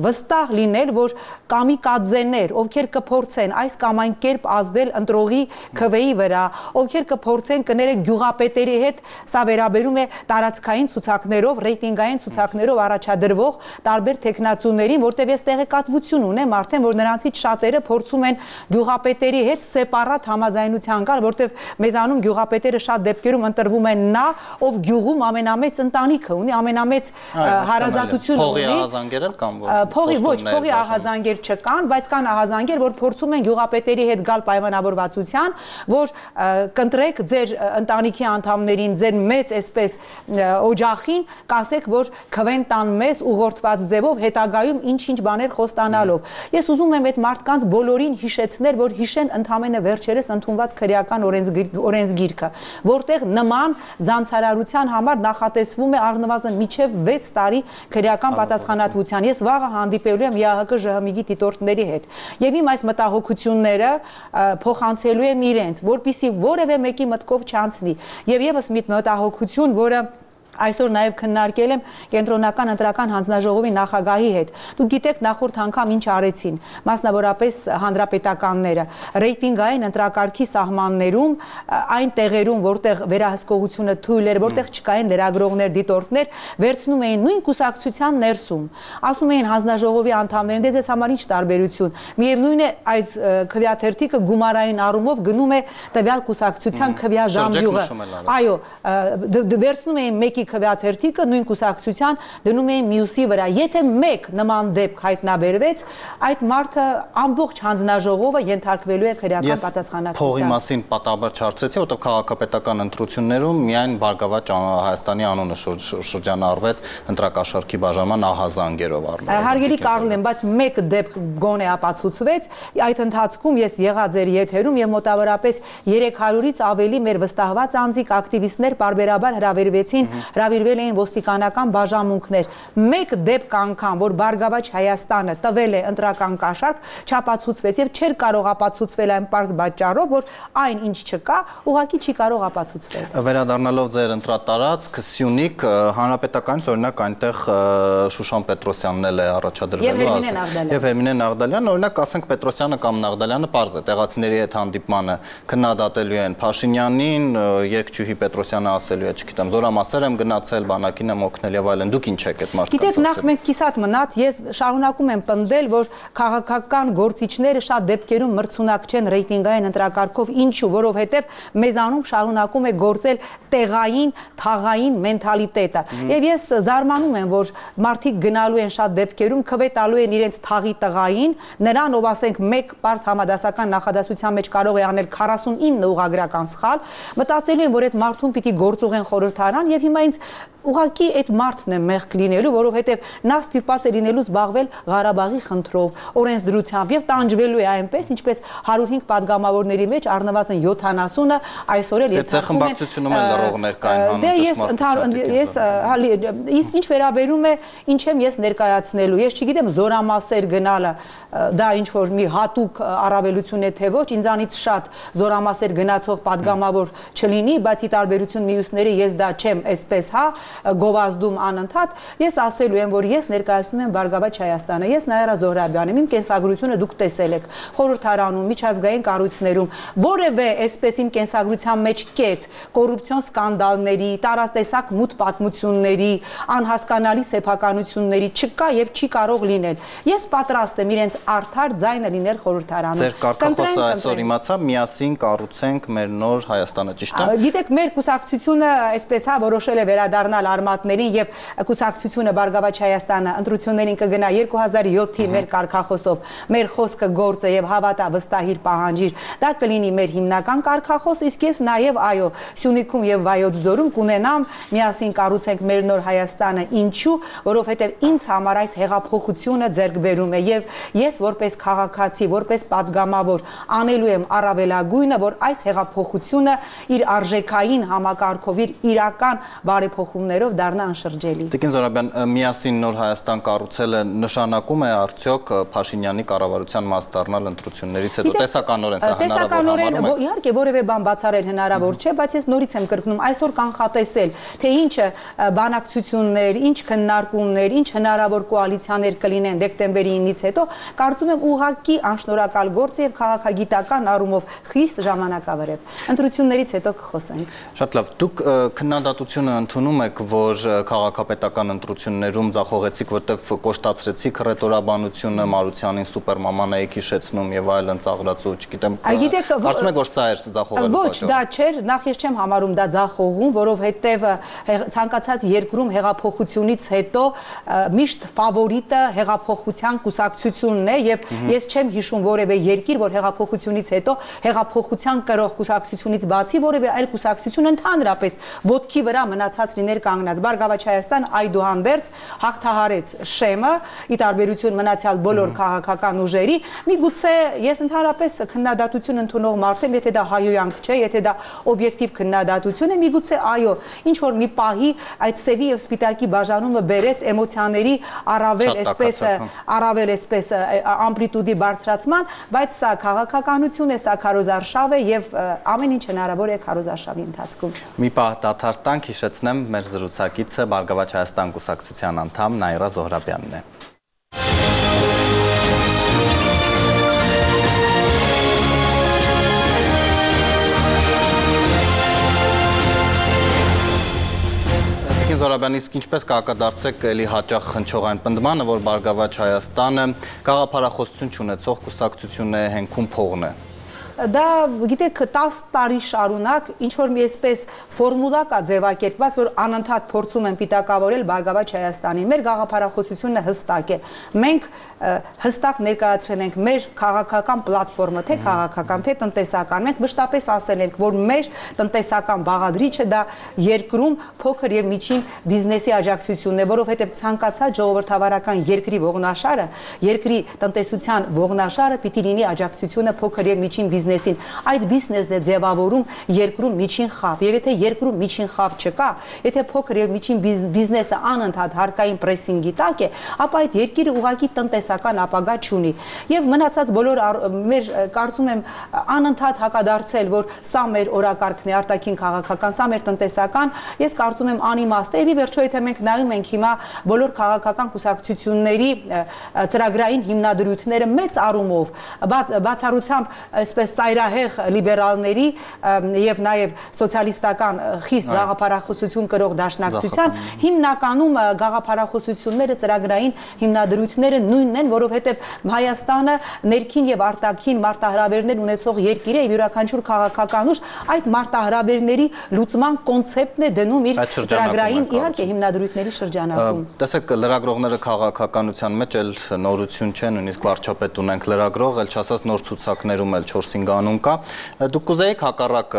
վստահ լինել, որ կամիկադզեներ, ովքեր կփորձեն այս կամ այն կերպ ազդել ընտրողի քվեի վրա, ովքեր կփորձեն կներեք գյուղապետերի հետ, սա վերաբերում է տարածքային ցուցակներով, ռեյտինգային ցուցակներով առաջադրվող տարբեր տեխնացուներին, որտեղ ես տեղեկատվություն ունեմ արդեն, որ նրանցից շատերը փորձում են գյուղապետերի հետ սեպարատ համաձայնության գալ, որտեղ մեզանում գյուղապետերը շատ դեպքերում ընտրվում են նա, ով գյուղում ամենամեծ ընտանիքը ունի, ամենամեծ հարազատություն ունի։ Փողի ահազանգեր էլ կան, որ փողի ոչ, փողի ահազանգեր չկան, բայց կան ահազանգեր, որ փորձում են գյուղապետերի հետ գալ պայմանավորվածության, որ կընտրեք ձեր ընտանիքի անդամներին, ձեր մեծ այսպես օջախին, կասեք, որ քվեն տան մեզ ուղղորդված ձևով հետագայում ինչ-ինչ բաներ խոստանալով։ Ես ուզում եմ այդ մարդկանց բոլորին հիշեցնել, որ հիշեն ընդամենը վերջերս ընդունված քրեական օրենսգիրքը, որտեղ նման զանցարարության համար նախատեսվում է առնվազն միջև 6 տարի քրեական պատասխանատվության։ Ես վաղը հանդիպելու եմ ԵԱՀԿ ԺՀՄԻ դիտորդների հետ եւ իմ այս մտահոգությունները փոխանցելու եմ իրենց, որպիսի որևէ մեկի մտքով չանցնի։ Եվ եւս մի մտահոգություն, որը Այսօր նաև քննարկել եմ կենտրոնական ընտրական հանձնաժողովի նախագահի հետ։ Դուք գիտեք նախորդ անգամ ինչ արեցին, մասնավորապես հանրապետականները, ռեյտինգային ընտրակարգի սահմաններում, այն տեղերում, որտեղ վերահսկողությունը թույլ էր, որտեղ չկային լրագրողներ, դիտորդներ, վերցնում էին նույն կուսակցության ներսում։ Ասում էին հանձնաժողովի անդամներին, դե ձեզ համար ինչ տարբերություն։ Միևնույն է, այս քվեաթերթիկը գումարային առումով գնում է տվյալ կուսակցության քվեազամբյուղը։ Այո, վերցնում էին մեկի քվեաթերթիկը նույն կուսակցության դնում էին մյուսի վրա։ Եթե մեկ նման դեպք հայտնաբերվեց, այդ մարդը ամբողջ հանձնաժողովը ենթարկվելու է քրեական պատասխանատվության։ Փողի մասին պատահաբար չարցրեցի, որտեղ քաղաքապետական ընտրություններում միայն Բարգավաճ Հայաստանի անունը շրջանառվեց ընտրակաշառքի բաժանման ահազանգերով առնվազն։ Հարգելի Կարլեն, բայց մեկ դեպք գոնե ապացուցվեց, այդ ընթացքում ես եղա ձեր եթերում եւ մոտավորապես 300-ից ավելի մեր վստահված անձիկ ակտիվիստներ բարբերաբար հրավիրվել էին ոստիկանական բաժանմունքներ։ Մեկ դեպք անգամ, որ Բարգավաճ Հայաստանը տվել է ընտրական կաշառք, չապացուցվեց եւ չէր կարող ապացուցվել այն պարզ պատճառով, որ այն ինչ չկա, ուղղակի չի կարող ապացուցվել։ Վերադառնալով ձեր ընտրատարածք Սյունիք, հանրապետականից օրինակ այնտեղ Շուշան Պետրոսյանն էլ է առաջադրվելու եւ Հերմինե Նաղդալյանն, օրինակ ասենք Պետրոսյանը կամ Նաղդալյանը պարզ է, տեղացիների հետ հանդիպմանը քննադատելու են Փաշինյանին, երկչուհի Պետրոսյանը ասելու է, չգիտեմ, զորամասեր եմ գնացել, բանակին եմ օգնել եւ այլն։ Դուք ինչ եք այդ մարդկանց։ Գիտեք, նախ մենք կիսատ մնաց, ես շարունակում եմ պնդել, որ քաղաքական գործիչները շատ դեպքերում մրցունակ չեն ռեյտինգային ընտրակարգով, ինչու, որովհետեւ մեզանում շարունակում է գործել տեղային, թաղային մենթալիտետը։ Եվ ես զարմանում եմ, որ մարդիկ գնալու են շատ դեպքերում քվե տալու են իրենց թաղի տղային, նրան, ով ասենք մեկ պարզ համադասական նախադասության մեջ կարող է անել 49 ուղղագրական սխալ, մտածելու են, որ այդ մարդուն պիտի գործուղեն խորհրդարան եւ հիմա ինձ ուղղակի այդ մարդն է մեղք լինելու, որովհետև նա ստիպված է լինելու զբաղվել Ղարաբաղի խնդրով, օրենսդրությամբ եւ տանջվելու է այնպես, ինչպես 105 падգամավորների մեջ առնվազն 70-ը այսօր էլ երթախում են։ Ձեր խմբակցությունում էլ լրողներ կային հանուն իսկ ինչ վերաբերում է ինչ եմ ես ներկայացնելու, ես չգիտեմ զորամասեր գնալը դա ինչ որ մի հատուկ առավելություն է թե ոչ, ինձանից շատ զորամասեր գնացող падգամավոր չլինի, բայց ի տարբերություն մյուսների ես դա չեմ այսպես, հա, գովազդում անընդհատ, ես ասելու եմ, որ ես ներկայացնում եմ Բարգավաճ Հայաստանը, ես Նաիրա Զոհրաբյան եմ, իմ կենսագրությունը դուք տեսել եք խորհրդարանում, միջազգային կառույցներում, որևէ այսպես իմ կենսագրության մեջ կետ, կոռուպցիոն սկանդալների, տարատեսակ մութ պատմությունների, անհասկանալի սեփականությունների չկա եւ չի կարող լինել։ Ես պատրաստ եմ իրենց արդար ձայնը լինել խորհրդարանում։ Ձեր կարգախոսը այսօր իմացա, միասին կառուցենք մեր նոր Հայաստանը, ճիշտ է։ Գիտեք, մեր կուսակցությունը այսպես հա որոշել է վերադառնալ արմատներին եւ կուսակցությունը Բարգավաճ Հայաստանը ընտրություններին կգնա 2007-ի մեր կարգախոսով, մեր խոսքը գործը եւ հավատա վստահիր պահանջիր, դա կլինի մեր հիմնական կարգախոս, իսկ ես նաեւ այո, Սյունիքում եւ Վայոց ձորում կունենամ միասին կառուցենք մեր նոր Հայաստանը, ինչու, որովհետեւ ինձ համար այս հեղափոխությունը ձեռք բերում է եւ ես որպես քաղաքացի, որպես падգամավոր անելու եմ առավելագույնը, որ այս հեղափոխությունը իր արժեքային համակարգով, իր իրական բարեփոխումներով դառնա անշրջելի։ Տիկին Զոհրաբյան, միասին նոր Հայաստան կառուցելը նշանակում է արդյոք Փաշինյանի կառավարության մաս դառնալ ընտրություններից հետո տեսականորեն սա հնարավոր է։ Իհարկե որևէ բան բացառել հնարավոր չէ, բայց ես նորից եմ կրկնում, այսօր կանխատեսել, թե ինչը բանակցություններ, ինչ քննարկումներ, ինչ հնարավոր կոալիցիաներ կլինեն դեկտեմբերի 9-ից հետո, կարծում եմ ուղղակի անշնորհակալ գործ եւ քաղաքագիտական առումով խիստ ժամանակավրեպ։ Ընտրություններից հետո կխոսենք։ Շատ լավ, դուք քննադատությունը ընդունում եք, որ քաղաքապետական ընտրություններում ձախողեցիք, որտեղ կոշտացրեցիք ռետորաբանությունը, Մարությանին սուպերմաման եք հիշեցնում եւ այլն ծաղրացու, չգիտեմ։ Կարծում եք, որ սա էր ձախողելու պատճառը։ Ոչ, դա չէր, նախ ես չեմ համարում դա ձախողում, որովհետեւ ցանկացած երկրում հեղափոխությունից հետո միշտ ֆավորիտը հեղափոխության կուսակցությունն է եւ ես չեմ հիշում որևէ երկիր, որ հեղափոխությունից հետո հեղափոխության կրող կուսակցությունից բացի որևէ այլ կուսակցություն ընդհանրապես ոտքի վրա մնացած լիներ կանգնած։ Բարգավաճ Հայաստան այդուհանդերձ հաղթահարեց շեմը, ի տարբերություն մնացյալ բոլոր քաղաքական ուժերի։ Միգուցե ես ընդհանրապես քննադատություն ընդունող մարդ եմ, եթե դա հայոյանք չէ, եթե դա օբյեկտիվ քննադատություն է, միգուցե այո, ինչ որ մի պահի այդ սևի եւ սպիտակի բաժանումը բերեց էմոցիաների առավել այսպես ամպլիտուդի բարձրացման, բայց սա քաղաքականություն է, սա քարոզարշավ է եւ ամեն ինչ հնարավոր է քարոզարշավի ընթացքում։ Մի պահ դադար տանք, հիշեցնեմ մեր զրուցակիցը Բարգավաճ Հայաստան կուսակցության անդամ Նաիրա Զոհրաբյանն է։ Զորաբյան, իսկ ինչպես կհակադարձեք էլի հաճախ հնչող այն պնդմանը, որ Բարգավաճ Հայաստանը գաղափարախոսություն չունեցող կուսակցություն է, հենքում փողն է։ Դա գիտեք 10 տարի շարունակ ինչ որ մի այսպես ֆորմուլա կա ձևակերպված, որ անընդհատ փորձում են պիտակավորել Բարգավաճ Հայաստանին։ Մեր գաղափարախոսությունը հստակ է։ Մենք հստակ ներկայացրել ենք մեր քաղաքական պլատֆորմը, թե քաղաքական, թե տնտեսական։ Մենք մշտապես ասել ենք, որ մեր տնտեսական բաղադրիչը դա երկրում փոքր եւ միջին բիզնեսի աջակցությունն է, որովհետեւ ցանկացած ժողովրդավարական երկրի ողնաշարը, երկրի տնտեսության ողնաշարը պիտի լինի աջակցությունը փոքր եւ միջին բիզնեսին, այդ բիզնեսն է ձևավորում երկրում միջին խավ, եւ եթե երկրում միջին խավ չկա, եթե փոքր եւ միջին բիզնեսը անընդհատ հարկային պրեսինգի տակ է, ապա այդ երկիրը ուղղակի տնտեսական ապագա չունի։ Եվ մնացած բոլոր մեր կարծում եմ անընդհատ հակադարձել, որ սա մեր օրակարգն է, արտաքին քաղաքական, սա մեր տնտեսական, ես կարծում եմ անիմաստ է, եւ ի վերջո եթե մենք նայում ենք հիմա բոլոր քաղաքական կուսակցությունների ծրագրային հիմնադրույթները մեծ առումով բացառությամբ այսպես ծայրահեղ լիբերալների եւ նաեւ սոցիալիստական խիստ գաղափարախոսություն կրող դաշնակցության հիմնականում գաղափարախոսությունները ծրագրային հիմնադրույթները նույնն են, որովհետեւ Հայաստանը ներքին եւ արտաքին մարտահրավերներ ունեցող երկիր է եւ յուրաքանչյուր քաղաքական ուժ այդ մարտահրավերների լուծման կոնցեպտն է դնում իր ծրագրային իհարկե հիմնադրույթների շրջանակում։ Տեսեք, լրագրողները քաղաքականության մեջ էլ նորություն չեն, նույնիսկ վարչապետ ունենք լրագրող, էլ չասած նոր ցուցակներում էլ 4-5 անուն կա։ Դուք կուզեիք հակառակ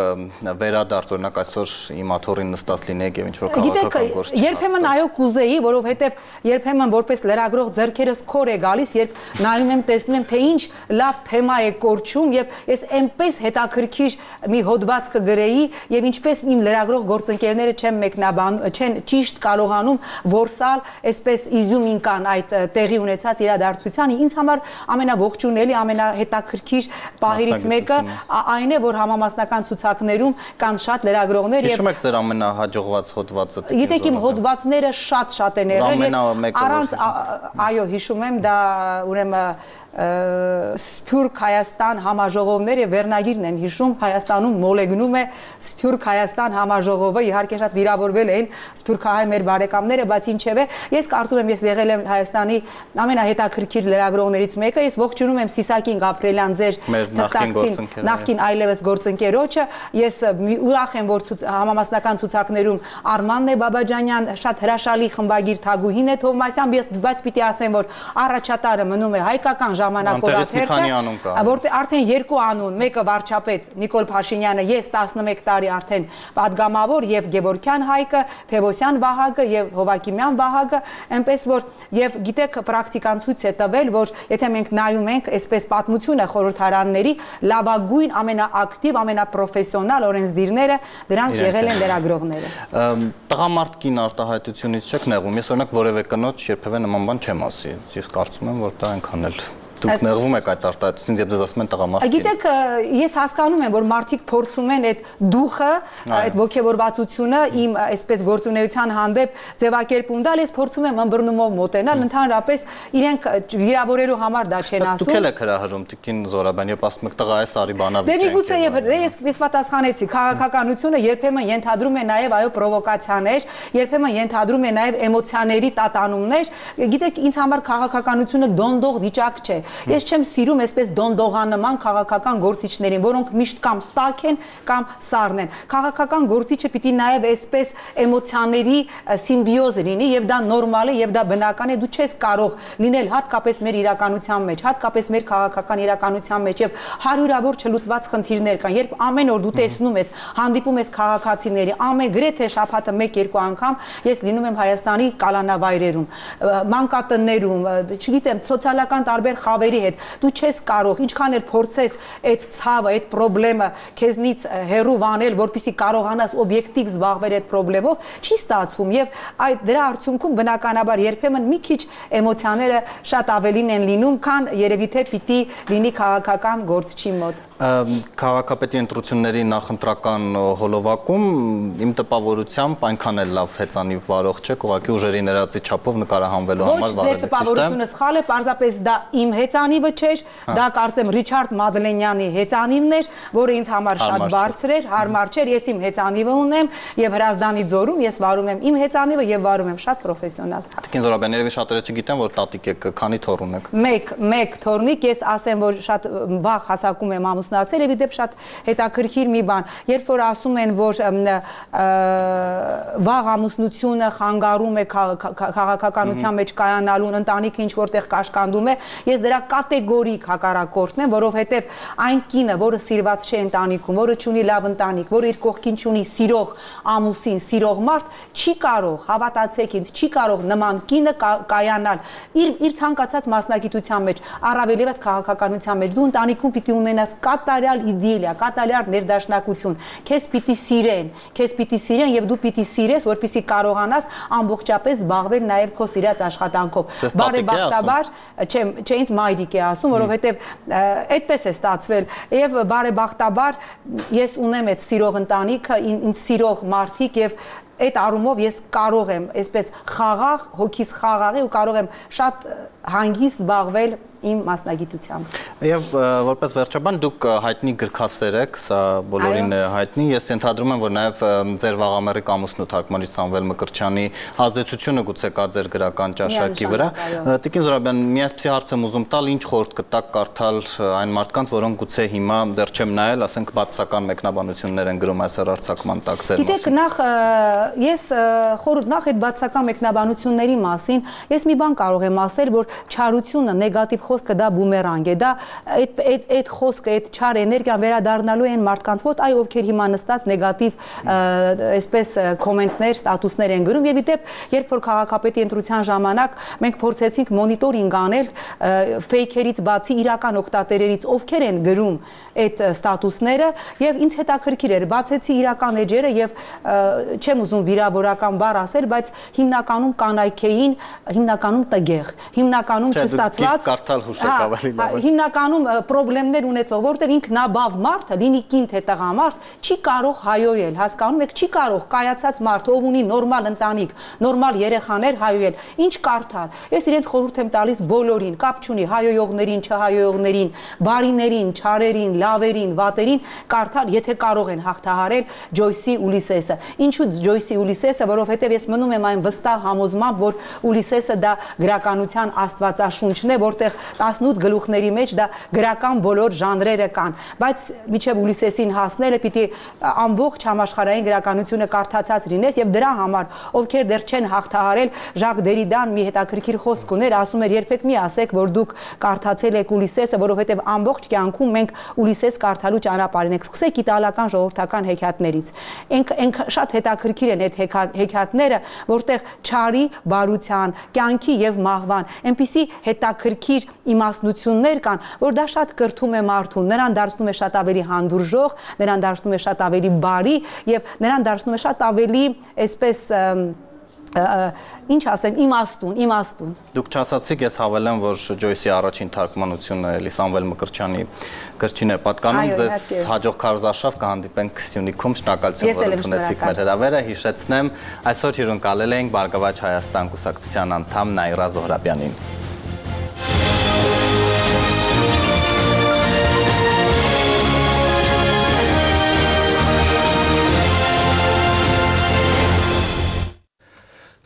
վերադարձ, օրինակ այսօր իմ աթոռին նստած լինեք եւ ինչ որ քաղաքական գործ չկա։ Երբեմն այո կուզեի, որովհետեւ երբեմն որպես լրագրող ձեռքերս քոր է գալիս, երբ նայում եմ, տեսնում եմ, թե ինչ լավ թեմա է կորչում եւ ես այնպես հետաքրքիր մի հոդված կգրեի եւ ինչպես իմ լրագրող գործընկերները չեն ճիշտ կարողանում որսալ այսպես իզյումին կան այդ տեղի ունեցած իրադարձությանը, ինձ համար ամենաողջունելի, ամենահետաքրքիր պահերից մեկը այն է, որ համամասնական ցուցակներում կան շատ լրագրողներ եւ հիշում եք ձեր ամենահաջողված հոդվածը։ Գիտեք, իմ հոդվածները շատ են եղել, ես առանց այո հիշում եմ, դա ուրեմն Սփյուռք Հայաստան համաժողովներ եւ վերնագիրն եմ հիշում, Հայաստանում մոլեգնում է Սփյուռք Հայաստան համաժողովը, իհարկե շատ վիրավորվել էին սփյուռքահայ մեր բարեկամները, բայց ինչևէ, ես կարծում եմ, ես եղել եմ Հայաստանի ամենահետաքրքիր լրագրողներից մեկը, ես ողջունում եմ Սիսակին Գաբրելյան, ձեր նախկին այլևս գործընկերոջը, ես ուրախ եմ, որ համամասնական ցուցակներում Արմանն է Բաբաջանյան, շատ հրաշալի խմբագիր Թագուհին է Թովմասյան, բայց պիտի ասեմ, որ առաջատարը մնում է հայկական ժամանակորաթերթը, որտեղ արդեն երկու անուն, մեկը վարչապետ Նիկոլ Փաշինյանը, ես 11 տարի արդեն падգամավոր եւ Գևորգյան Հայկը, Թևոսյան Վահագը եւ Հովակիմյան Վահագը, այնպես որ եւ գիտեք պրակտիկան ցույց է տվել, որ եթե մենք նայում ենք այսպես պատմությունը խորհրդարանների լավագույն ամենաակտիվ, ամենապրոֆեսիոնալ օրենսդիրները դրանք եղել են լրագրողները։ Տղամարդ կին արտահայտությունից չեք նեղվում։ Ես օրինակ որևէ կնոջ երբևէ նման բան չեմ ասի։ Ես կարծում եմ, որ դա այնքան էլ դուք նեղվում եք այդ արտահայտությունից, եւ ձեզ ասում են տղամարդ։ Գիտեք, ես հասկանում եմ, որ մարդիկ փորձում են այդ դուխը, այդ ողջավորվածությունը իմ այսպես գործունեության հանդեպ ձևակերպում տալ, ես փորձում եմ ըմբռնումով մոտենալ, ընդհանրապես իրենք վիրավորելու համար դա չեն ասում։ Դուք էլ եք հրահրում Տիկին Զորաբյան, երբ ասում եք տղա այս արի բանավիճ է։ Դե միգուցե ես պատասխանեցի, քաղաքականությունը երբեմն ենթադրում է նաեւ այո պրովոկացիաներ, երբեմն ենթադրում է նաեւ էմոցիաների տատանումներ։ Գիտեք, ինձ համար քաղաքականությունը դոնդող վիճակ չէ։ Ես չեմ սիրում այսպես դոնդողանման քաղաքական գործիչներին, որոնք միշտ կամ տաք են կամ սառն են։ Քաղաքական գործիչը պիտի նաև այսպես էմոցիաների սիմբիոզ լինի եւ դա նորմալ է եւ դա բնական է։ Դու չես կարող լինել հատկապես մեր իրականության մեջ, հատկապես մեր քաղաքական իրականության մեջ եւ հարյուրավոր չլուծված խնդիրներ կան։ Երբ ամեն օր դու տեսնում ես, հանդիպում ես քաղաքացիների, գրեթե շաբաթը 1-2 անգամ ես լինում եմ Հայաստանի կալանավայրերում, մանկատներում, չգիտեմ, սոցիալական տարբեր խավեր ցավերի հետ։ Դու չես կարող, ինչքան էլ փորձես այդ ցավը, այդ խնդրեմը քեզնից հեռու վանել, որպեսզի կարողանաս օբյեկտիվ զբաղվել այդ խնդրելով, չի ստացվում եւ այդ դրա արդյունքում բնականաբար երբեմն մի քիչ էմոցիաները շատ ավելին են լինում, քան երևի թե պիտի լինի քաղաքական գործչի մոտ։ Քաղաքապետի ընտրությունների նախընտրական հոլովակում իմ տպավորությամբ այնքան էլ լավ հեծանիվ վարող չեք, ուղղակի ուժերի ներածի չափով նկարահանվելու համար Ոչ, ձեր տպավորությունը սխալ է, պարզապես դա իմ հեծանիվը չէր, դա կարծեմ Ռիչարդ Մադլենյանի հեծանիվն էր, որը ինձ համար շատ բարձր էր, հարմար չէր, ես իմ հեծանիվը ունեմ եւ Հրազդանի ձորում ես վարում եմ իմ հեծանիվը եւ վարում եմ շատ պրոֆեսիոնալ։ Տիկին Զորաբյան, երևի շատերը չգիտեն, որ տատիկ եք, քանի թոռ ունեք։ Մեկ թոռնիկ, ես ասեմ, որ շատ վաղ հասակում եմ ամուսնացել եւ իդեպ շատ հետաքրքիր մի բան, երբ որ ասում են, որ վաղ ամուսնությունը խանգարում է քաղաքականության մեջ կայանալուն, ընտանիքը ինչ որտեղ կաշկանդում է, ես դրա կատեգորիկ հակառակորդն եմ, որովհետեւ այն կինը, որը սիրված չէ ընտանիքում, որը չունի լավ ընտանիք, որը իր կողքին չունի սիրող ամուսին, սիրող մարդ, չի կարող, հավատացեք ինձ, չի կարող նման կինը կայանալ իր ցանկացած մասնագիտության մեջ, առավել ևս քաղաքականության մեջ։ Դու ընտանիքում պիտի ունենաս կատարյալ իդիլիա, կատարյալ ներդաշնակություն, քեզ պիտի սիրեն եւ դու պիտի սիրես, որպեսզի կարողանաս ամբողջապես զբաղվել նաեւ քո սիրած աշխատանքով։ Բարեբախտաբար, չէ, ինձ մայրիկ է ասում, որովհետեւ այդպես է ստացվել եւ բարեբախտաբար ես ունեմ այդ սիրող ընտանիքը, ինձ սիրող մարդիկ եւ այդ առումով ես կարող եմ այսպես խաղաղ, հոգիս խաղաղ ու կարող եմ շատ հանգիստ զբաղվել իմ մասնագիտությամբ։ Եվ որպես վերջաբան դուք հայտնի գրքասեր եք, սա բոլորին հայտնի, ես ենթադրում եմ, որ նաև ձեր վաղամեռիկ ամուսնու թարգմանիչ Սամվել Մկրտչյանի ազդեցությունը գուցե կա ձեր գրական ճաշակի վրա։ Տիկին Զորաբյան, մի այսպիսի հարց եմ ուզում տալ, ինչ խորհուրդ կտաք կարդալ այն մարդկանց, որոնք գուցե հիմա դեռ չեմ նայել, ասենք բացասական մեկնաբանություններ են գրում այս հեռարձակման տակ ձեր մասին։ Գիտեք, նախ ես խորհուրդ նախ այդ բացասական մեկնաբանությունների մասին, ես մի բան կարող եմ ասել, որ չարությունը, նեգատիվ խոսքը դա բումերանգ է, դա այդ խոսքը, այդ չար էներգիան վերադառնալու են մարդկանց մոտ, այ ովքեր հիմա նստած նեգատիվ այսպես կոմենտներ, ստատուսներ են գրում եւ իդեպ երբ որ քաղաքապետի ընտրության ժամանակ մենք փորձեցինք մոնիտորինգ անել ֆեյքերից բացի իրական օգտատերերից ովքեր են գրում այդ ստատուսները եւ ինձ հետաքրքիր էր բացեցի իրական էջերը եւ չեմ ուզում վիրավորական բառ ասել, բայց հիմնականում կանայք էին, հիմնականում տգեղ, հիմնականում չստացված հիմնականում խնդիրներ ունեցող, որտեղ ինքնաբավ մարդը, լինի կին թե տղամարդ, չի կարող հայոյել, հասկանում եք, չի կարող կայացած մարդ, ով ունի նորմալ ընտանիք, նորմալ երեխաներ հայոյել, ինչ կարդալ։ Ես իրենց խորհուրդ եմ տալիս բոլորին, կապ չունի հայոյողներին, չհայոյողներին, բարիներին, չարերին, լավերին, վատերին, կարդալ, եթե կարող են հաղթահարել Ջոյսի Ուլիսեսը։ Ինչու Ջոյսի Ուլիսեսը, որովհետև ես մնում եմ այն վստահ համոզմամբ, որ Ուլիսեսը դա գրականության աստվածաշունչն է, որտեղ 18 գլուխների մեջ դա գրական բոլոր ժանրերը կան, բայց միջև Ուլիսեսին հասնելը պիտի ամբողջ համաշխարհային գրականությունը կարդացած լինես եւ դրա համար, ովքեր դեռ չեն հաղթահարել, Ժակ Դերիդան մի հետաքրքիր խոսք ուներ, ասում էր երբեք մի ասեք, որ դուք կարդացել եք Ուլիսեսը, որովհետեւ ամբողջ կյանքում մենք Ուլիսես կարդալու ճանապարհին ենք։ Սկսեք իտալական ժողովրդական հեքիաթներից։ Ենք շատ հետաքրքիր են այդ հեքիաթները, որտեղ չարի, բարության, կյանքի եւ մահվան այնպիսի հետաքրքիր իմաստնություններ կան, որ դա շատ կրթում է մարդուն, նրան դարձնում է շատ ավելի հանդուրժող, նրան դարձնում է շատ ավելի բարի եւ նրան դարձնում է շատ ավելի այսպես ինչ ասեմ, իմաստուն։ Դուք չասացիք, ես հավելեմ, որ Ջոյսի առաջին թարգմանությունը էլի Սամվել Մկրտչյանի գրչին է պատկանում, ձեզ հաջող քարոզարշավ կհանդիպենք Սյունիքում, շնորհակալություն, որ ընդունեցիք մեր հրավերը, հիշեցնեմ, այսօր հյուրընկալել էինք Բարգավաճ Հայաստան կուսակցության անդամ Նաիրա Զոհրաբյանին։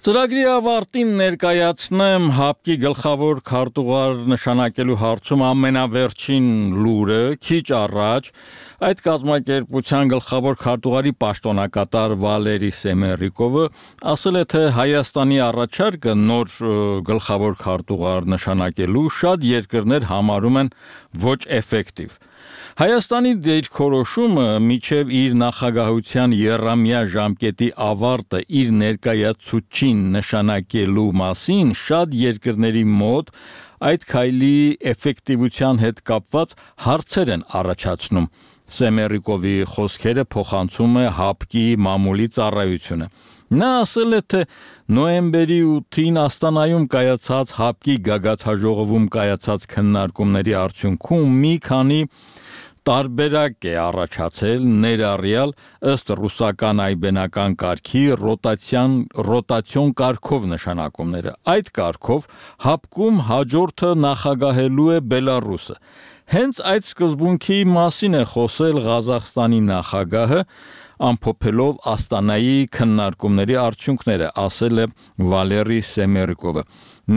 Ծրագրի ավարտին ներկայացնեմ ՀԱՊԿ-ի գլխավոր քարտուղար նշանակելու հարցում ամենավերջին լուրը, քիչ առաջ այդ կազմակերպության գլխավոր քարտուղարի պաշտոնակատար Վալերի Սեմերիկովը ասել է, թե Հայաստանի առաջարկը նոր գլխավոր քարտուղար նշանակելու շատ երկրներ համարում են ոչ էֆեկտիվ։ Հայաստանի դիրքորոշումը միջև իր նախագահության եռամյա ժամկետի ավարտը իր ներկայացուցչին նշանակելու մասին շատ երկրների մոտ այդ քայլի էֆեկտիվության հետ կապված հարցեր են առաջացնում։ Սեմերիկովի խոսքերը փոխանցում է ՀԱՊԿ-ի մամուլի ծառայությունը։ Նա ասել է, թե նոյեմբերի 8-ին Աստանայում կայացած ՀԱՊԿ-ի գագաթաժողովում կայացած քննարկումների արդյունքում մի քանի տարբերակ է առաջացել, ներառյալ ըստ ռուսական այբենական կարգի ռոտացիոն կարգով նշանակումները։ Այդ կարգով ՀԱՊԿ-ում հաջորդը նախագահելու է Բելարուսը։ Հենց այդ սկզբունքի մասին է խոսել Ղազախստանի նախագահը, ամփոփելով Աստանայի քննարկումների արդյունքները, ասել է Վալերի Սեմերիկովը։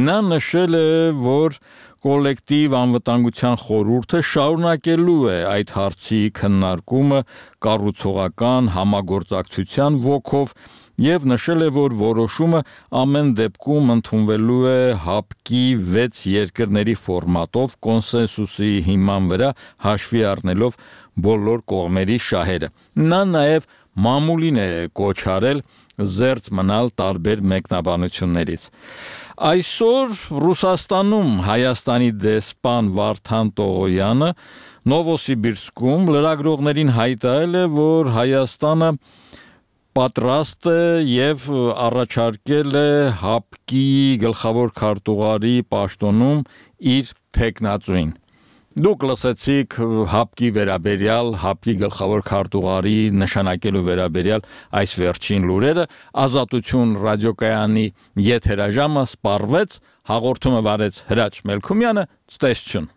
Նա նշել է, որ կոլեկտիվ անվտանգության խորհուրդը շարունակելու է այդ հարցի քննարկումը կառուցողական համագործակցության ոգով եւ նշել է, որ որոշումը ամեն դեպքում ընդունվելու է ՀԱՊԿ-ի 6 երկրների ֆորմատով կոնսենսուսի հիման վրա հաշվի առնելով բոլոր կողմերի շահերը։ Նա նաեւ մամուլին է կոչ արել զերծ մնալ տարբեր մեկնաբանություններից։ Այսօր Ռուսաստանում Հայաստանի դեսպան Վարդան Տողոյանը Նովոսիբիրսկում լրագրողներին հայտարարել է, որ Հայաստանը պատրաստ է եւ առաջարկել է ՀԱՊԿ-ի գլխավոր քարտուղարի պաշտոնում իր թեկնածուին։ Դուք լսեցիք ՀԱՊԿ-ի վերաբերյալ, ՀԱՊԿ-ի գլխավոր քարտուղարի նշանակելու վերաբերյալ այս վերջին լուրերը։ Ազատություն ռադիոկայանի եթերաժամը սպառվեց, հաղորդումը վարեց Հրաչ Մելքումյանը, ցտեսություն։